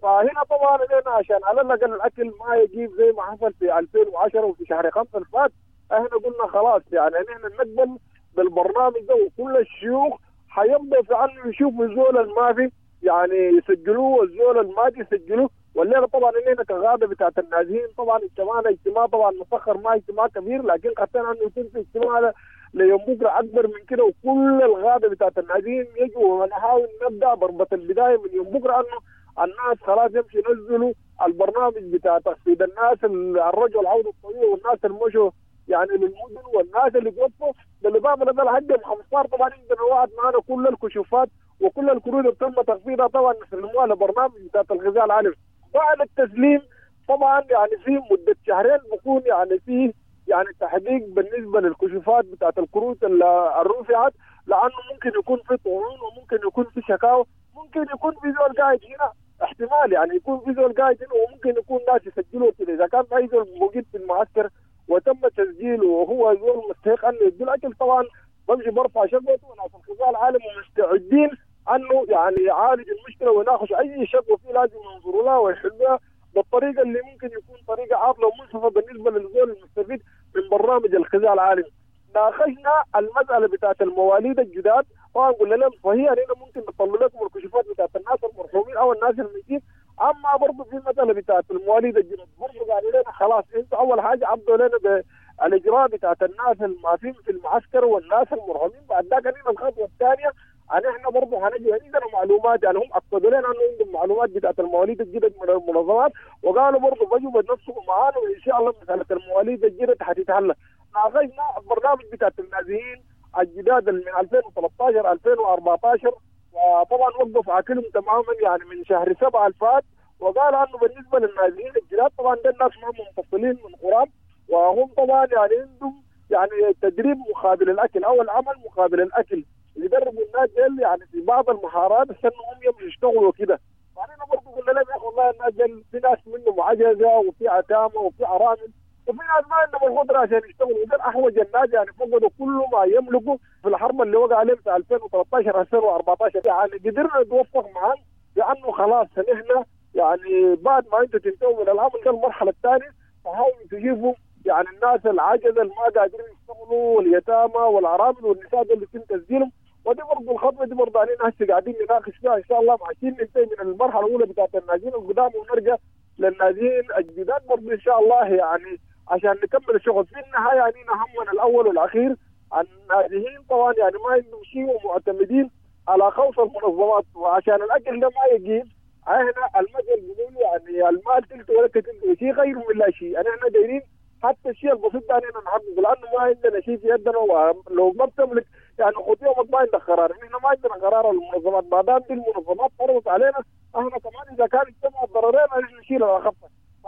فهنا طبعا هنا عشان على الاقل الاكل ما يجيب زي ما حصل في 2010 وفي شهر 5 اللي فات، احنا قلنا خلاص يعني احنا نقبل بالبرنامج ده، وكل الشيوخ حيبدأ في عنه يشوفوا الزول المافي يعني يسجلوه والزول المادي يسجلوه. والليله طبعا اننا كغابه بتاعت النازحين طبعا اجتماعنا اجتماع طبعا مسخر ما اجتماع كبير، لكن خدتنا انه يكون في اجتماع ليوم بكره اكبر من كده، وكل الغابه بتاعت النازحين يجوا ونحاول نبدا ضربه البدايه من يوم بكره انه الناس خلاص يمشي ينزلوا البرنامج بتاع تخفيض الناس الرجل العوده الطويله والناس المشوا يعني للمدن والناس اللي توفوا. بالاضافه لده لحد 15 طبعا عندنا وعد معنا كل الكشوفات وكل الكروت اللي تم تخفيضها طبعا نسلموها لبرنامج بتاع الغذاء العالمي. بعد التسليم طبعا يعني في مده شهرين بكون يعني في يعني تحقيق بالنسبه للكشوفات بتاعت الكروت اللي رفعت، لانه ممكن يكون في طعون وممكن يكون في شكاوى، ممكن يكون في زول قاعد هنا احتمال يعني يكون في زول قاعد وممكن يكون ناس يسجلوه كده. اذا كان في زول موجود في المعسكر وتم تسجيله وهو زول مستحق انه يدي الاكل، طبعا بمشي برفع شكوته، وناس الغذاء العالمي مستعدين انه يعني يعالج المشكلة ويناقش اي شكوى فيه، لازم ينظروا لها ويحلوها بالطريقة اللي ممكن يكون طريقه عادلة ومنصفه بالنسبة للزول المستفيد من برنامج الغذاء العالمي. ناقشنا المسالة بتاعت المواليد الجداد، طبعا قلنا لهم صحيح اننا ممكن نطلع لكم الكشوفات بتاعت الناس المرحومين او الناس الميتين، اما برضه في المسالة بتاعت المواليد الجداد برضه قالوا لنا خلاص انتوا اول حاجة عبدوا لنا بالاجراء بتاعت الناس المافين في المعسكر والناس المرحومين، بعد ذاك لنا الخطوة الثانية ان احنا برضه هنجي عندنا معلومات، يعني هم اكدوا لنا انه عندهم معلومات بتاعت المواليد الجدد من المنظمات، وقالوا برضه بيجوا بنفسهم معانا وان شاء الله مسالة المواليد الجدد حتتحل. ناقشنا البرنامج بتاعت النازحين الجداد من 2013 2014، وطبعا وقف عاكلهم تماما يعني من شهر 7 الفات، وقال انه بالنسبة للنازحين الجداد طبعا ده الناس ما منفصلين من قرام، وهم طبعا يعني عندهم يعني تدريب مقابل الاكل او العمل مقابل الاكل، يدربوا الناس ديل يعني في بعض المهارات عشان هم يمشوا يشتغلوا وكده. فانا برضه قلنا لهم يا اخي والله الناس ديل في ناس منهم عجزه وفي عتامه وفي ارامل وفي ناس ما عندهم القدرة عشان يشتغلوا، ودول احوج الناس يعني فقدوا كل ما يملكوا في الحرب اللي وقع عليهم في 2013 2014. يعني قدرنا نتوفق معهم بانه خلاص نحن يعني بعد ما انتم تنتهوا من العمل ده المرحلة الثانية فحاولوا تجيبوا يعني الناس العجزة اللي ما قادرين يشتغلوا واليتامى والارامل والنساء اللي يتم تسجيلهم. ودي برضه الخطوة دي برضه علينا هسه قاعدين نناقش فيها ان شاء الله، عشان ننتهي من المرحلة الاولى بتاعت النازحين القدام ونرجع للنازحين الجداد برضه ان شاء الله، يعني عشان نكمل الشغل. في النهاية يعني همنا الاول والاخير النازحين طبعا يعني ما عندهم شيء ومعتمدين على خوف المنظمات، وعشان الاكل ده ما يجيب احنا المثل بيقول يعني المال تلت ولا تلت شيء غير من لا شيء. يعني احنا دايرين حتى الشيء البسيط ده علينا نحققه، لانه ما عندنا شيء في يدنا، ولو ما بتملك يعني خد يومك ما عندك قرار، احنا ما عندنا قرار المنظمات، ما دام دي المنظمات فرضت علينا احنا كمان اذا كان اجتمع الضررين نحن نشيل الاخف.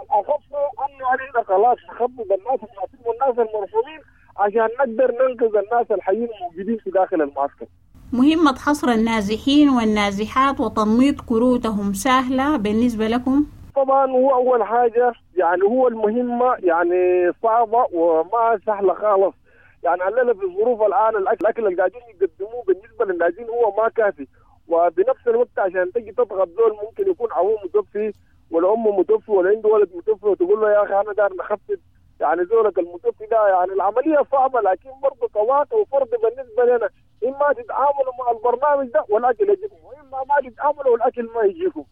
الاخف انه علينا خلاص نخفض الناس المعصوم والناس المرحومين عشان نقدر ننقذ الناس الحيين الموجودين في داخل المعسكر. مهمة حصر النازحين والنازحات وتنميط كروتهم سهلة بالنسبة لكم؟ طبعا هو أول حاجة يعني هو المهمة يعني صعبة وما سهلة خالص، يعني علينا في الظروف الآن الأكل اللي قاعدين يقدموه بالنسبة للنازحين هو ما كافي، وبنفس الوقت عشان تجي تضغط دول ممكن يكون أبوه متوفي ولا أمه متوفي ولا عنده ولد متوفي وتقول له يا أخي أنا دار نخفض يعني زولك المتوفي ده، يعني العملية صعبة، لكن برضه كواقع وفرض بالنسبة لنا إما تتعاملوا مع البرنامج ده والأكل يجيكم، وإما ما تتعاملوا والأكل ما يجيكم.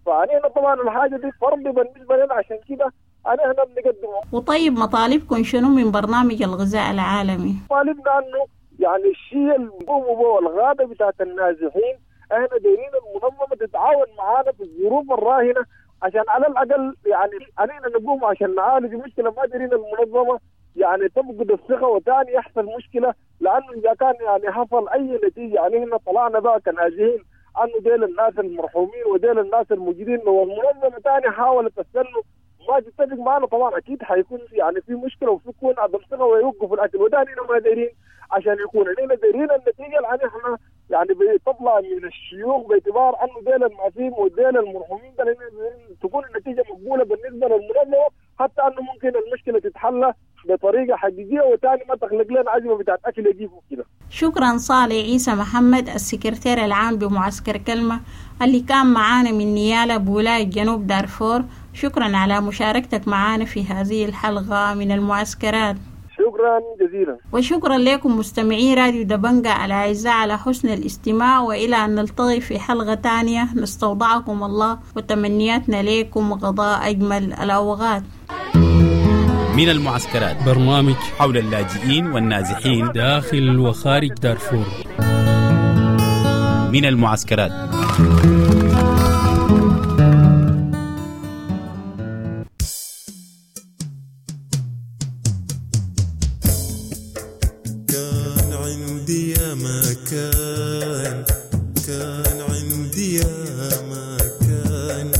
فعلينا طبعا الحاجة دي فرض بالنسبة لنا، عشان كده أنا هنا بنقدمه. وطيب مطالبكم شنو من برنامج الغذاء العالمي؟ طالبنا أنه يعني الشيء اللي بيقوموا به الغابة بتاعت النازحين احنا دايرين المنظمة تتعاون معانا في الظروف الراهنة عشان على الأقل يعني علينا نقوم عشان نعالج مشكلة، ما دايرين المنظمة يعني تفقد الثقة وثاني يحصل مشكلة، لأنه إذا كان يعني حصل أي نتيجة يعني احنا طلعنا بقى كنازحين انه ديل الناس المرحومين وديل الناس الموجودين والمنظمه ثاني حاولت تستنوا ما تتفق معنا، طبعا اكيد حيكون يعني في مشكلة وفي يكون عدم ثقة ويوقفوا الاكل، وده ما دايرين عشان يكون علينا دايرين النتيجة اللي احنا يعني بتطلع من الشيوخ باعتبار انه ديل المعفين وديل المرحومين ده تكون النتيجة مقبولة بالنسبة للمنظمة، حتى انه ممكن المشكلة تتحل بطريقة حقيقية وثاني ما تخلق لنا ازمة بتاعت اكل يجيبوا كده. شكرا صالح عيسى محمد السكرتير العام بمعسكر كلمة اللي كان معانا من نيالا بولاية جنوب دارفور، شكرا على مشاركتك معانا في هذه الحلقة من المعسكرات. شكرا جزيلا. وشكرا لكم مستمعي راديو دبنجة الأعزاء على حسن الاستماع، وإلى أن نلتقي في حلقة تانية نستودعكم الله وتمنياتنا لكم غضاء أجمل الأوقات. من المعسكرات، برنامج حول اللاجئين والنازحين داخل وخارج دارفور. من المعسكرات. كان عندي يا مكان، كان عندي يا مكان،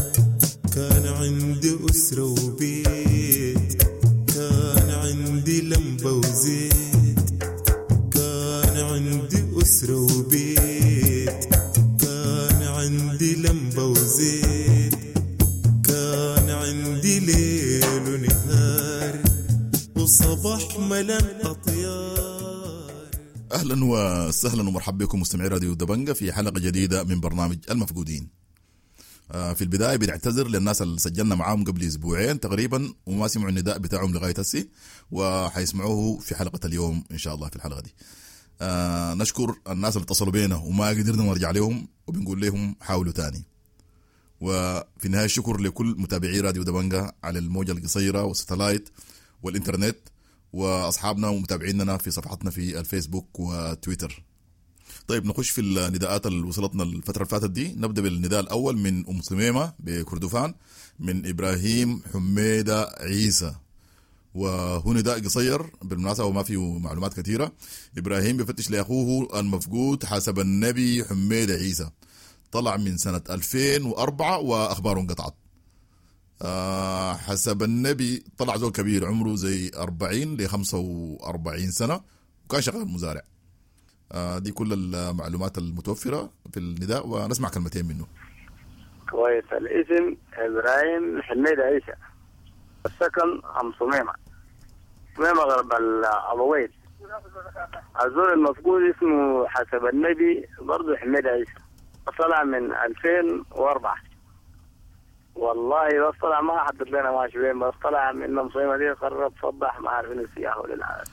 كان عندي أسرة وبيت، كان عندي لمبة وزيت، كان عندي أسرة وبيت، كان عندي لمبة وزيت. ولا الأطيار. اهلا وسهلا ومرحبا بكم مستمعي راديو دبنجة في حلقة جديدة من برنامج المفقودين. في البداية بنعتذر للناس اللي سجلنا معاهم قبل اسبوعين تقريبا وما سمعوا النداء بتاعهم لغاية هسي، وحيسمعوه في حلقة اليوم ان شاء الله في الحلقة دي. نشكر الناس اللي اتصلوا بينا وما قدرنا نرجع لهم، وبنقول لهم حاولوا تاني. وفي النهاية الشكر لكل متابعي راديو دبنجة على الموجه القصيرة والستلايت والانترنت، واصحابنا ومتابعيننا في صفحتنا في الفيسبوك وتويتر. طيب نخش في النداءات اللي وصلتنا الفترة اللي فاتت دي. نبدأ بالنداء الأول من أم صميمة بكردفان، من إبراهيم حميدة عيسى، وهو نداء قصير بالمناسبة وما فيه معلومات كثيرة. إبراهيم بفتش لأخوه المفقود حسب النبي حميدة عيسى، طلع من سنة 2004 وأخباره انقطعت. حسب النبي طلع زول كبير عمره زي 40 ل 45 سنة، وكان شغال مزارع. دي كل المعلومات المتوفرة في النداء، ونسمع كلمتين منه. كويس. الاسم إبراهيم حميد عيسى، السكن أم صميمة، صميمة غرب الأبويد. الزول المفقود اسمه حسب النبي برضه حميد عيسى، طلع من 2004. والله بس طلع ما حدد لنا ماشي وين، بس طلع من أم صميمة دي قرب صبح ما عارفين السياح ولا.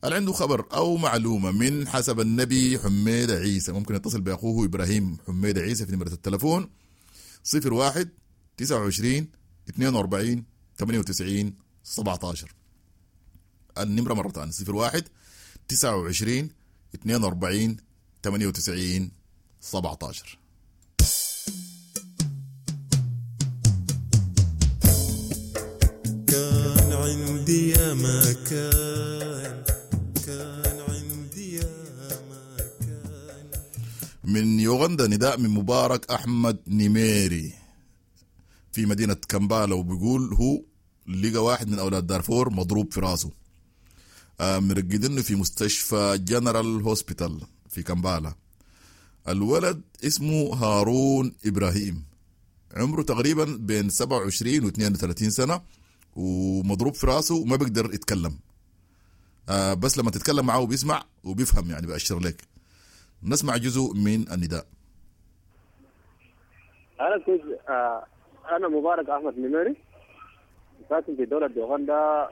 اللي عنده خبر أو معلومة من حسب النبي حميد عيسى ممكن يتصل بأخوه إبراهيم حميد عيسى في نمرة التلفون 01 29 42 98 17. النمرة مرة ثانية 01 29 42 98 17. كان عندي يا مكان، كان عندي يا مكان. من يوغندا نداء من مبارك أحمد نيميري في مدينة كامبالا، وبيقول هو لقى واحد من أولاد دارفور مضروب في راسه، مرقدينه في مستشفى General Hospital في كامبالا. الولد اسمه هارون إبراهيم، عمره تقريبا بين 27 و 32 سنة، ومضروب في راسه وما بيقدر يتكلم، بس لما تتكلم معه بيسمع وبيفهم، يعني بأشر لك. نسمع جزء من النداء. أنا كنت أنا مبارك أحمد نميري، ساكن في دولة يوغندا،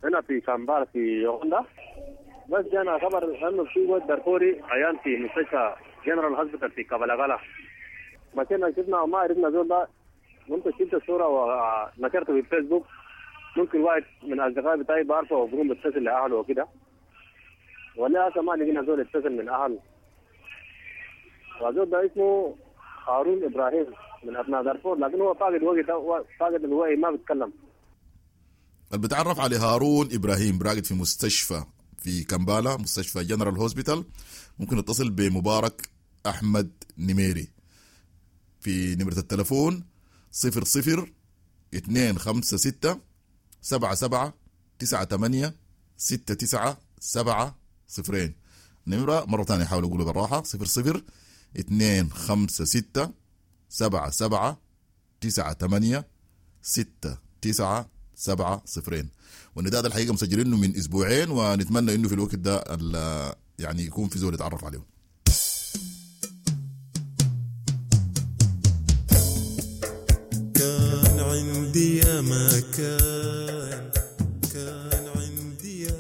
هنا في كامبالا في يوغندا. بس جانا خبر أنه في ولد دارفوري عيان في مستشفى General Hospital في كابالاغالا. مشينا شفنا وما عرفنا زول ده. ممكن شفت الصورة ونشرته في الفيسبوك، ممكن واحد من أصدقائي بتاعي بعرفه وبقوم بتصل لأهله وكده، ولا هسه ما لقينا زول يتصل من أهله. وزول ده اسمه هارون إبراهيم من أبناء دارفور، لكن هو فاقد وقت، فاقد الوعي ما بيتكلم. اللي بتعرف على هارون إبراهيم راقد في مستشفى في كامبالا، مستشفى General Hospital، ممكن يتصل بمبارك أحمد نميري في نمرة التلفون 00 256 77 98 69 7 0. نمرة مرة ثانية حاولوا أقوله بالراحة، 00 256 77 98 69 7 0. والنداء ده الحقيقة مسجلينه من أسبوعين، ونتمنى إنه في الوقت ده يعني يكون في زول يتعرف عليه. كان عندي يا مكان، كان عندي يا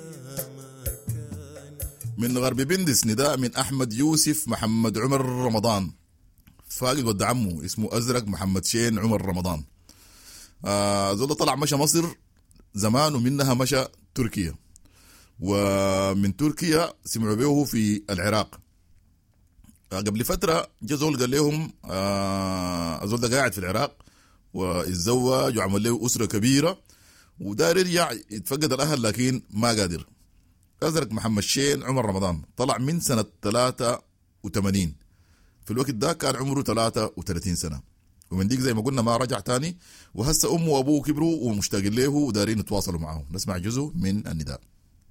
مكان. من غرب بندس نداء من أحمد يوسف محمد عمر رمضان، فاقد ود عمه اسمه أزرق محمد شين عمر رمضان. زول طلع مشى مصر زمان، ومنها مشى تركيا، ومن تركيا سمعوا به في العراق. قبل فترة جا زول قال لهم زول ده قاعد في العراق واتزوج وعمل له أسرة كبيرة ودار يرجع يتفقد الأهل لكن ما قادر. أزرق محمد شين عمر رمضان طلع من سنة 83، في الوقت ده كان عمره 33 سنة، ومن ديك زي ما قلنا ما رجع تاني، وهسه أمه وأبوه كبروا ومشتاقين له ودارين يتواصلوا معه. نسمع جزء من النداء.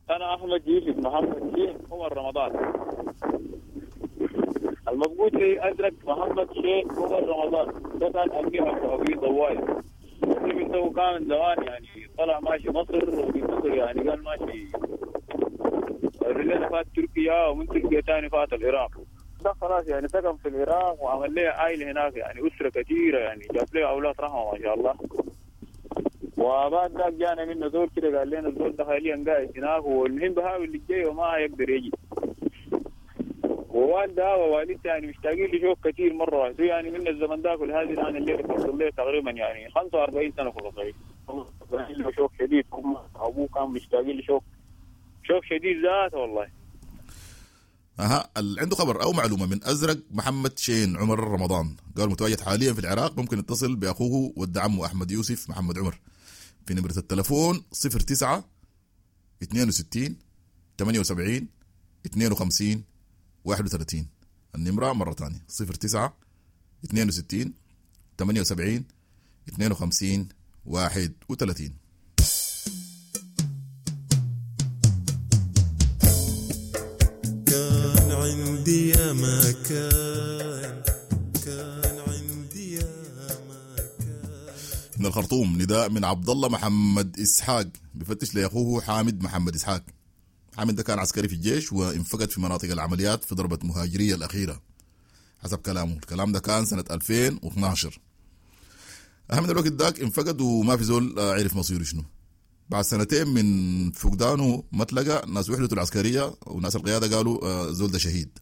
أنا أحمد يوسف محمد شين عمر رمضان، المفقود لي أزرق محمد شين عمر رمضان، ده كان أمير أبو ضواي، الطفل ده كان زمان يعني طلع ماشي مصر، ومن مصر يعني قال ماشي رجعنا فات تركيا، ومن تركيا تاني فات العراق. ده خلاص يعني سكن في العراق وعمل لي عائلة هناك، يعني أسرة كثيرة، يعني جاب لي أولاد رحمة ما شاء الله. وبعد ذاك جانا منه زول كده قال لنا الزول ده حاليا قاعد هناك، والمهم بحاول اللي جاي وما يقدر يجي. ووالده ووالدته يعني مشتاقين لشوق كثير مرة، يعني من الزمن ذاك ولهذه الآن الليلة فصل له تقريبا يعني 45 سنة فوق الصغير. له شوق شديد، أبوه كان مشتاقين لشوق شوق شديد ذاته والله. اها، اللي عنده خبر او معلومة من ازرق محمد شين عمر رمضان، قال متواجد حاليا في العراق، ممكن يتصل باخوه ود عمه احمد يوسف محمد عمر في نمره التلفون 09 62 78 52 31. النمرة مرة ثانية 09 62 78 52 31. كان عندي يا ما كان، كان عندي يا ما كان. من الخرطوم نداء من عبد الله محمد اسحاق، بفتش لاخوه حامد محمد اسحاق. حامد ده كان عسكري في الجيش وانفقد في مناطق العمليات في ضربة مهاجرية الأخيرة حسب كلامه. الكلام ده كان سنة 2012. أهم من الوقت ذاك انفقد وما في زول عرف مصيره شنو. بعد سنتين من فقدانه ما تلقى، ناس وحدته العسكرية وناس القيادة قالوا زول ده شهيد.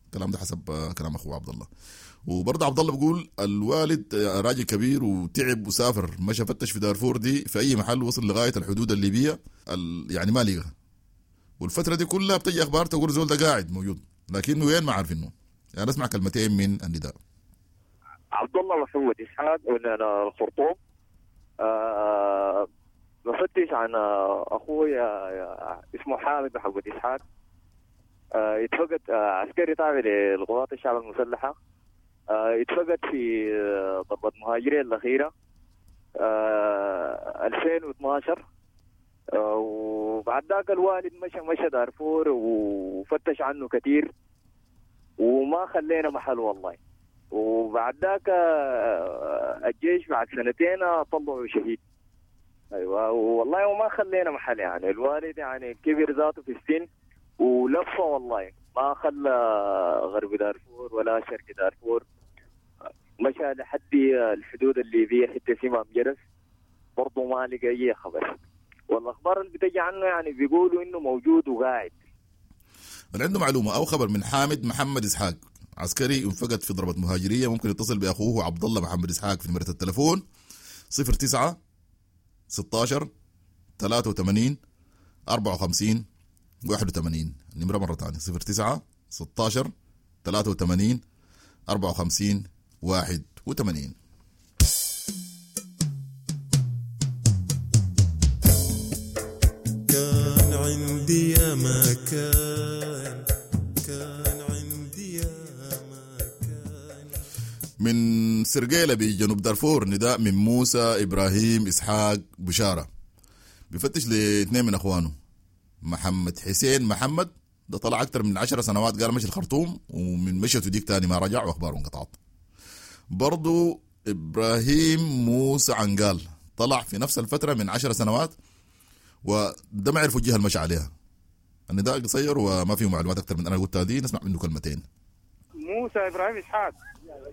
الكلام ده حسب كلام اخوه عبد الله. وبرضه عبد الله بيقول الوالد راجل كبير وتعب وسافر، مشى فتش في دارفور دي في اي محل، وصل لغاية الحدود الليبية يعني ما لقى. والفترة دي كلها بتجي اخبار تقول زول ده قاعد موجود، لكنه وين ما عارفينه. يعني اسمع كلمتين من النداء. عبد الله محمد اسحاق من الخرطوم، بفتش عن اخوي اسمه حامد محمد اسحاق، اتفقد عسكري تابع للقوات الشعب المسلحة، اتفقد في ضربه مهاجرين الاخيرة 2012. وبعد ذاك الوالد مشى دارفور وفتش عنه كثير وما خلينا محل والله. وبعد ذاك الجيش بعد سنتين طلعوا شهيد. ايوه والله، وما خلينا محل يعني. الوالد يعني كبر ذاته في السن ولفه والله، ما خلى غرب دارفور ولا شرق دارفور، مشى لحد الحدود الليبية حتى سيما مجرس برضه ما لقى اي خبر. والاخبار اللي بتجي عنه يعني بيقولوا انه موجود وقاعد. اللي عنده معلومة او خبر من حامد محمد اسحاق عسكري انفقد في ضربه مهاجريه، ممكن يتصل باخوه عبد الله محمد اسحاق في نمره التلفون 09 16 83 54 81. النمرة مرة ثانية 09 16 83 54 81. كان عندي يا ما كان، كان عندي يا ما كان. من سرقيلة بجنوب دارفور نداء من موسى إبراهيم إسحاق بشارة، بفتش لاثنين من أخوانه. محمد حسين محمد ده طلع أكتر من 10 سنوات، قال مشي الخرطوم ومن مشيته ديك تاني ما رجع وأخباره انقطعت. برضو إبراهيم موسى عنقال طلع في نفس الفترة من 10 سنوات وده ما عرفوا الجهة المشى عليها. النداء قصير وما فيه معلومات أكتر من أنا قلتها دي، نسمع منه كلمتين. موسى إبراهيم إسحاق،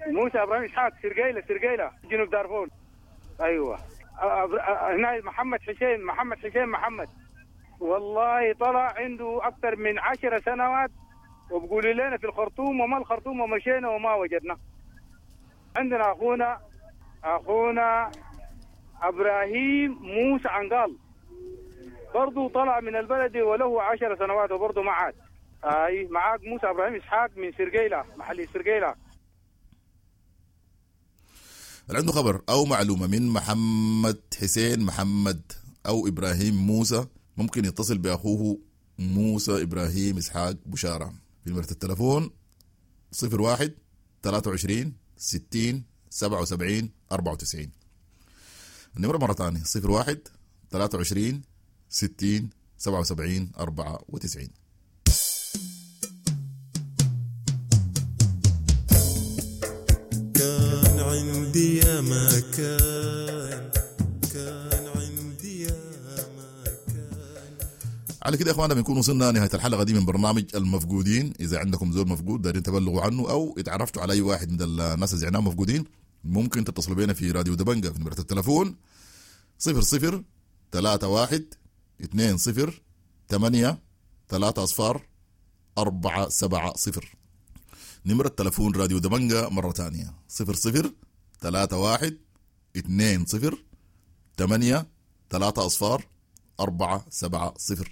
موسى إبراهيم إسحاق، سرقيلة، سرقيلة جنوب دارفور. أيوة هنا محمد حسين، محمد حسين محمد، والله طلع عنده أكثر من 10 سنوات وبقولوا لنا في الخرطوم وما الخرطوم ومشينا وما وجدنا. عندنا أخونا إبراهيم موسى عنقال برضو طلع من البلد وله 10 سنوات وبرضو ما عاد. أي معاك موسى إبراهيم إسحاق من سرقيلة، محلي سرقيلة. اللي عنده خبر أو معلومة من محمد حسين محمد أو إبراهيم موسى ممكن يتصل بأخوه موسى إبراهيم إسحاق بشارة في نمرة التلفون 01 23 60 77 94. النمرة مرة ثانية 01 23 60 77 94. كان عندي يا ما كان، كان عندي على كده يا اخوانا بنكون وصلنا نهاية الحلقة دي من برنامج المفقودين. اذا عندكم زول مفقود دارين تبلغوا عنه او اتعرفتوا على اي واحد من الناس اللي زعناهم مفقودين، ممكن تتصلوا بينا في راديو دبنجة في نمره التلفون 00 31 20 8 3 0 4 7 0. نمرة تلفون راديو دبنجة مرة ثانية 00 31 20 8 3 0 4 7 0.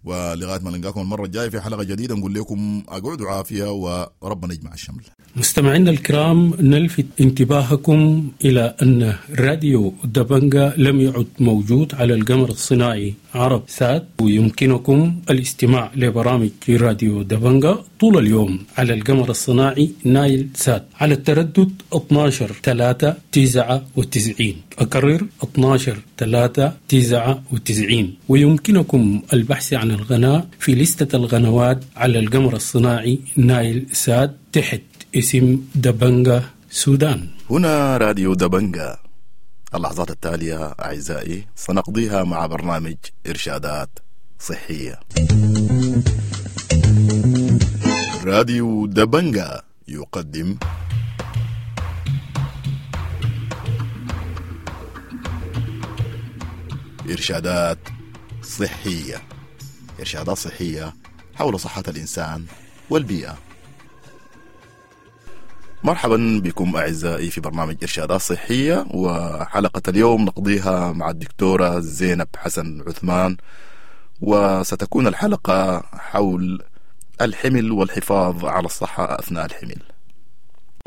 ولغاية ما نلقاكم المرة الجاية في حلقة جديدة نقول لكم اقعدوا عافية وربنا يجمع الشمل. مستمعينا الكرام، نلفت انتباهكم إلى أن راديو دبنجا لم يعد موجود على القمر الصناعي عرب سات، ويمكنكم الاستماع لبرامج راديو دبنجا طول اليوم على القمر الصناعي نايل سات على التردد 12 3 99. أكرر 12 3 99. ويمكنكم البحث عن القناة في لستة القنوات على القمر الصناعي نايل سات تحت اسم دبنجا سودان. هنا راديو دبنجا. اللحظات التالية أعزائي سنقضيها مع برنامج إرشادات صحية. راديو دبنجا يقدم إرشادات صحية. إرشادات صحية حول صحة الإنسان والبيئة. مرحبا بكم أعزائي في برنامج إرشادات صحية، وحلقة اليوم نقضيها مع الدكتورة زينب حسن عثمان، وستكون الحلقة حول الحمل والحفاظ على الصحة أثناء الحمل.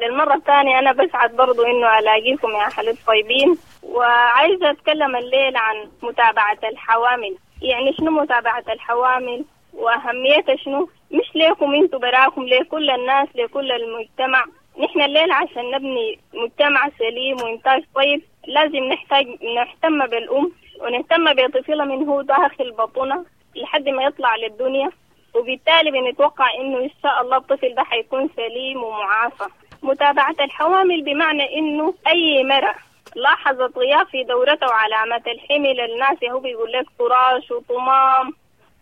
للمرة الثانية أنا بسعد برضو إنه ألاقيكم يا أهل الطيبين، وعايزة أتكلم الليل عن متابعة الحوامل. يعني شنو متابعة الحوامل وأهميتها شنو؟ مش ليكم انتوا براكم، لكل الناس، لكل المجتمع. نحن الليل عشان نبني مجتمع سليم وإنتاج طيب لازم نحتاج نهتم بالأم ونهتم بطفلها من هو داخل بطنها لحد ما يطلع للدنيا، وبالتالي بنتوقع إنه إن شاء الله الطفل ده حيكون سليم ومعافى. متابعة الحوامل بمعنى إنه أي مرأة لاحظت غياب في دورته وعلامات الحمل، الناس هو بيقول لك فراش وطمام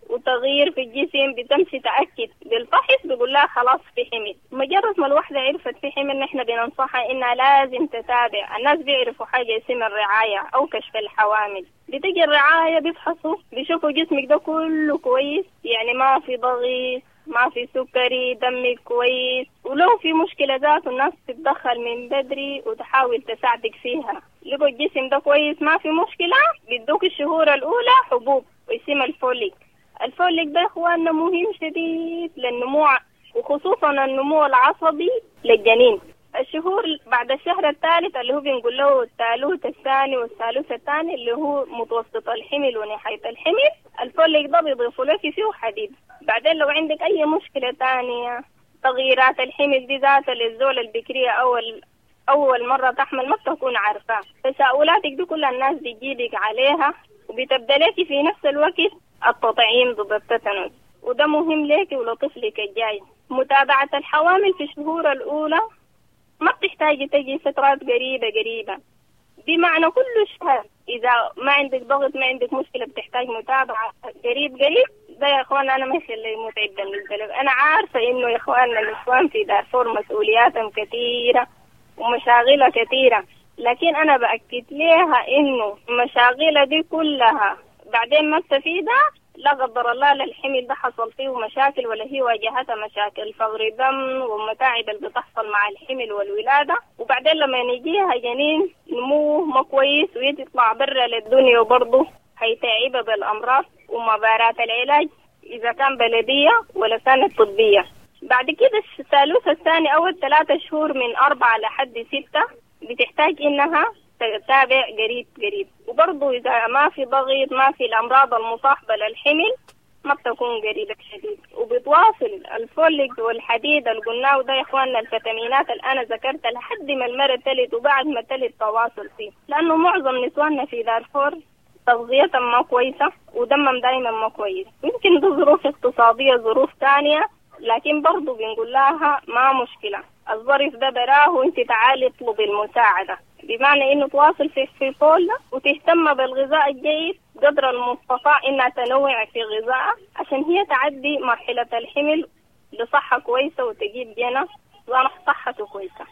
وتغيير في الجسم، بتمشي تأكد بالفحص بيقول لها خلاص في حمل. مجرد ما الوحدة عرفت في حمل نحن بننصحها إنها لازم تتابع. الناس بيعرفوا حاجة اسمها الرعاية أو كشف الحوامل. بتجي الرعاية بيفحصوا بيشوفوا جسمك ده كله كويس، يعني ما في ضغط، ما في سكري، دمك كويس، ولو في مشكلة ذاته الناس تتدخل من بدري وتحاول تساعدك فيها. لقوا الجسم ده كويس ما في مشكلة، بيدوك الشهور الأولى حبوب واسمها الفوليك. الفوليك ده اخواننا مهم شديد للنمو، وخصوصا النمو العصبي للجنين. الشهور بعد الشهر الثالث اللي هو بنقول له الثالوث الثاني والثالوث الثاني اللي هو متوسط الحمل ونهاية الحمل، الفوليك ده بيضيفوا لك فيه حديد. بعدين لو عندك أي مشكلة تانية، تغييرات الحمل دي ذاتها للزولة البكرية أول مرة تحمل ما بتكون عارفة، تساؤلاتك دي كل الناس بتجيبك عليها، وبتبدأ لك في نفس الوقت التطعيم ضد التتنس، وده مهم لك ولطفلك الجاي. متابعة الحوامل في الشهور الأولى ما بتحتاجي تجي فترات قريبة قريبة، بمعنى كل شهر إذا ما عندك ضغط ما عندك مشكلة بتحتاج متابعة قريب قريب. ده يا إخوان أنا ما يخلي متعب بالنسبة لي. أنا عارفة إنه يا إخواننا الإخوان في دارفور مسؤولياتهم كثيرة ومشاغلها كثيرة، لكن أنا بأكد لها إنه مشاغلها دي كلها بعدين ما استفيدها، لا قدر الله للحمل ده حصل فيه مشاكل ولا هي واجهتها مشاكل فقر دم ومتاعب اللي بتحصل مع الحمل والولادة. وبعدين لما يجيها جنين نموه ما كويس ويطلع برا للدنيا وبرضه هيتعبها بالأمراض ومبارات العلاج إذا كان بلدية ولا كانت طبية. بعد كده الثالوث الثاني أول 3 شهور من 4 لحد 6 بتحتاج إنها تتابع قريب قريب، وبرضه إذا ما في ضغط ما في الأمراض المصاحبة للحمل ما بتكون قريبة شديد، وبتواصل الفوليك والحديد اللي قلناه ده يا إخواننا، الفيتامينات اللي أنا ذكرتها لحد ما المرة تلد وبعد ما تلد تواصل فيه، لأنه معظم نسواننا في دارفور تغذيتهم ما كويسة ودمهم دايما ما كويس، يمكن ده ظروف اقتصادية ظروف تانية، لكن برضه بنقول لها ما مشكلة، الظرف ده براه وانت تعالي اطلبي المساعدة، بمعنى انه تواصل في فول وتهتم بالغذاء الجيد قدر المستطاع إنها تنوع في غذائها عشان هي تعدي مرحلة الحمل بصحة كويسة وتجيب جنى صحته كويسة.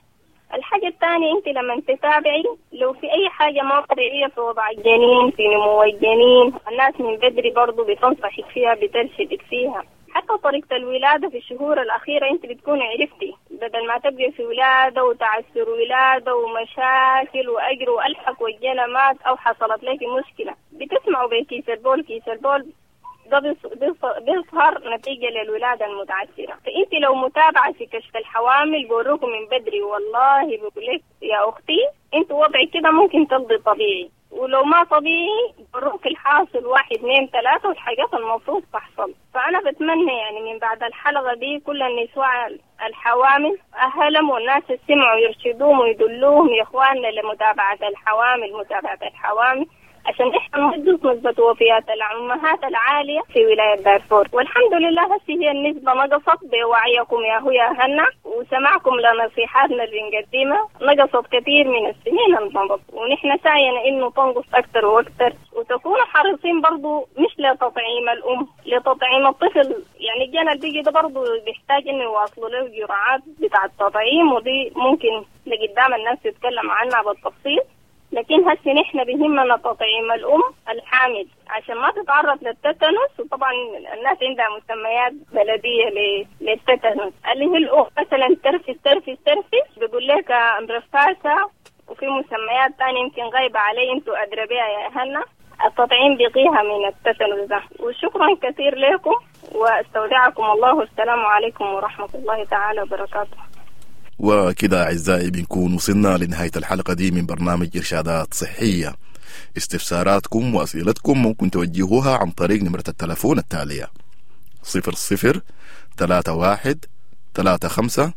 الحاجة الثانية أنت لما تتابعي لو في أي حاجة ما طبيعية في وضع الجنين، في نمو الجنين، الناس من بدري برضو بتنصحك فيها، بترشدك فيها. حتى طريقة الولادة في الشهور الأخيرة أنت بتكون عرفتي، بدل ما تبقي في ولادة وتعسر ولادة ومشاكل وأجر وألحق والجنى مات أو حصلت لك مشكلة، بتسمعوا بكيس البول، كيس البول ده بيظهر نتيجة للولادة المتعسرة. فأنت لو متابعة في كشف الحوامل بوروكم من بدري، والله بقول لك يا أختي أنت وضعك كده ممكن تلضي طبيعي، ولو ما طبيعي بروك الحاصل 1 2 3 والحاجات المفروض تحصل. فأنا بتمنى يعني من بعد الحلقة دي كل النساء الحوامل أهلهم والناس اللي سمعوا يرشدوهم ويدلوهم يا إخواننا لمتابعة الحوامل، متابعة الحوامل عشان احنا ننقص نسبة وفيات الأمهات العالية في ولاية دارفور. والحمد لله هسه هي النسبة نقصت بوعيكم يا هو يا هنا وسماعكم لنصيحاتنا اللي بنقدمها، نقصت كثير من السنين المضت، ونحن سعينا انه تنقص اكثر واكثر. وتكونوا حريصين برضو مش لتطعيم الام، لتطعيم الطفل. يعني الجنى اللي بيجي ده برضو بيحتاج انه يواصلوا له جرعات بتاع التطعيم، ودي ممكن لقدام الناس تتكلم عنها بالتفصيل. لكن هسه نحن بيهمنا تطعيم الأم الحامل عشان ما تتعرض للتتنس. وطبعا الناس عندها مسميات بلدية للتتنس، اللي هي الأم مثلا ترفس ترفس ترفس، بيقول لك رفاسة، وفي مسميات تانية يمكن غايبة علي انتوا أدرى بيها يا أهلنا. التطعيم بيقيها من التتنس ده. وشكرا كثير لكم واستودعكم الله، والسلام عليكم ورحمة الله تعالى وبركاته. وكده أعزائي بنكون وصلنا لنهاية الحلقة دي من برنامج إرشادات صحية. استفساراتكم وأسئلتكم ممكن توجهوها عن طريق نمرة التلفون التالية 00 31 35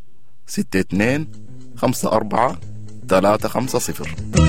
62 54 350.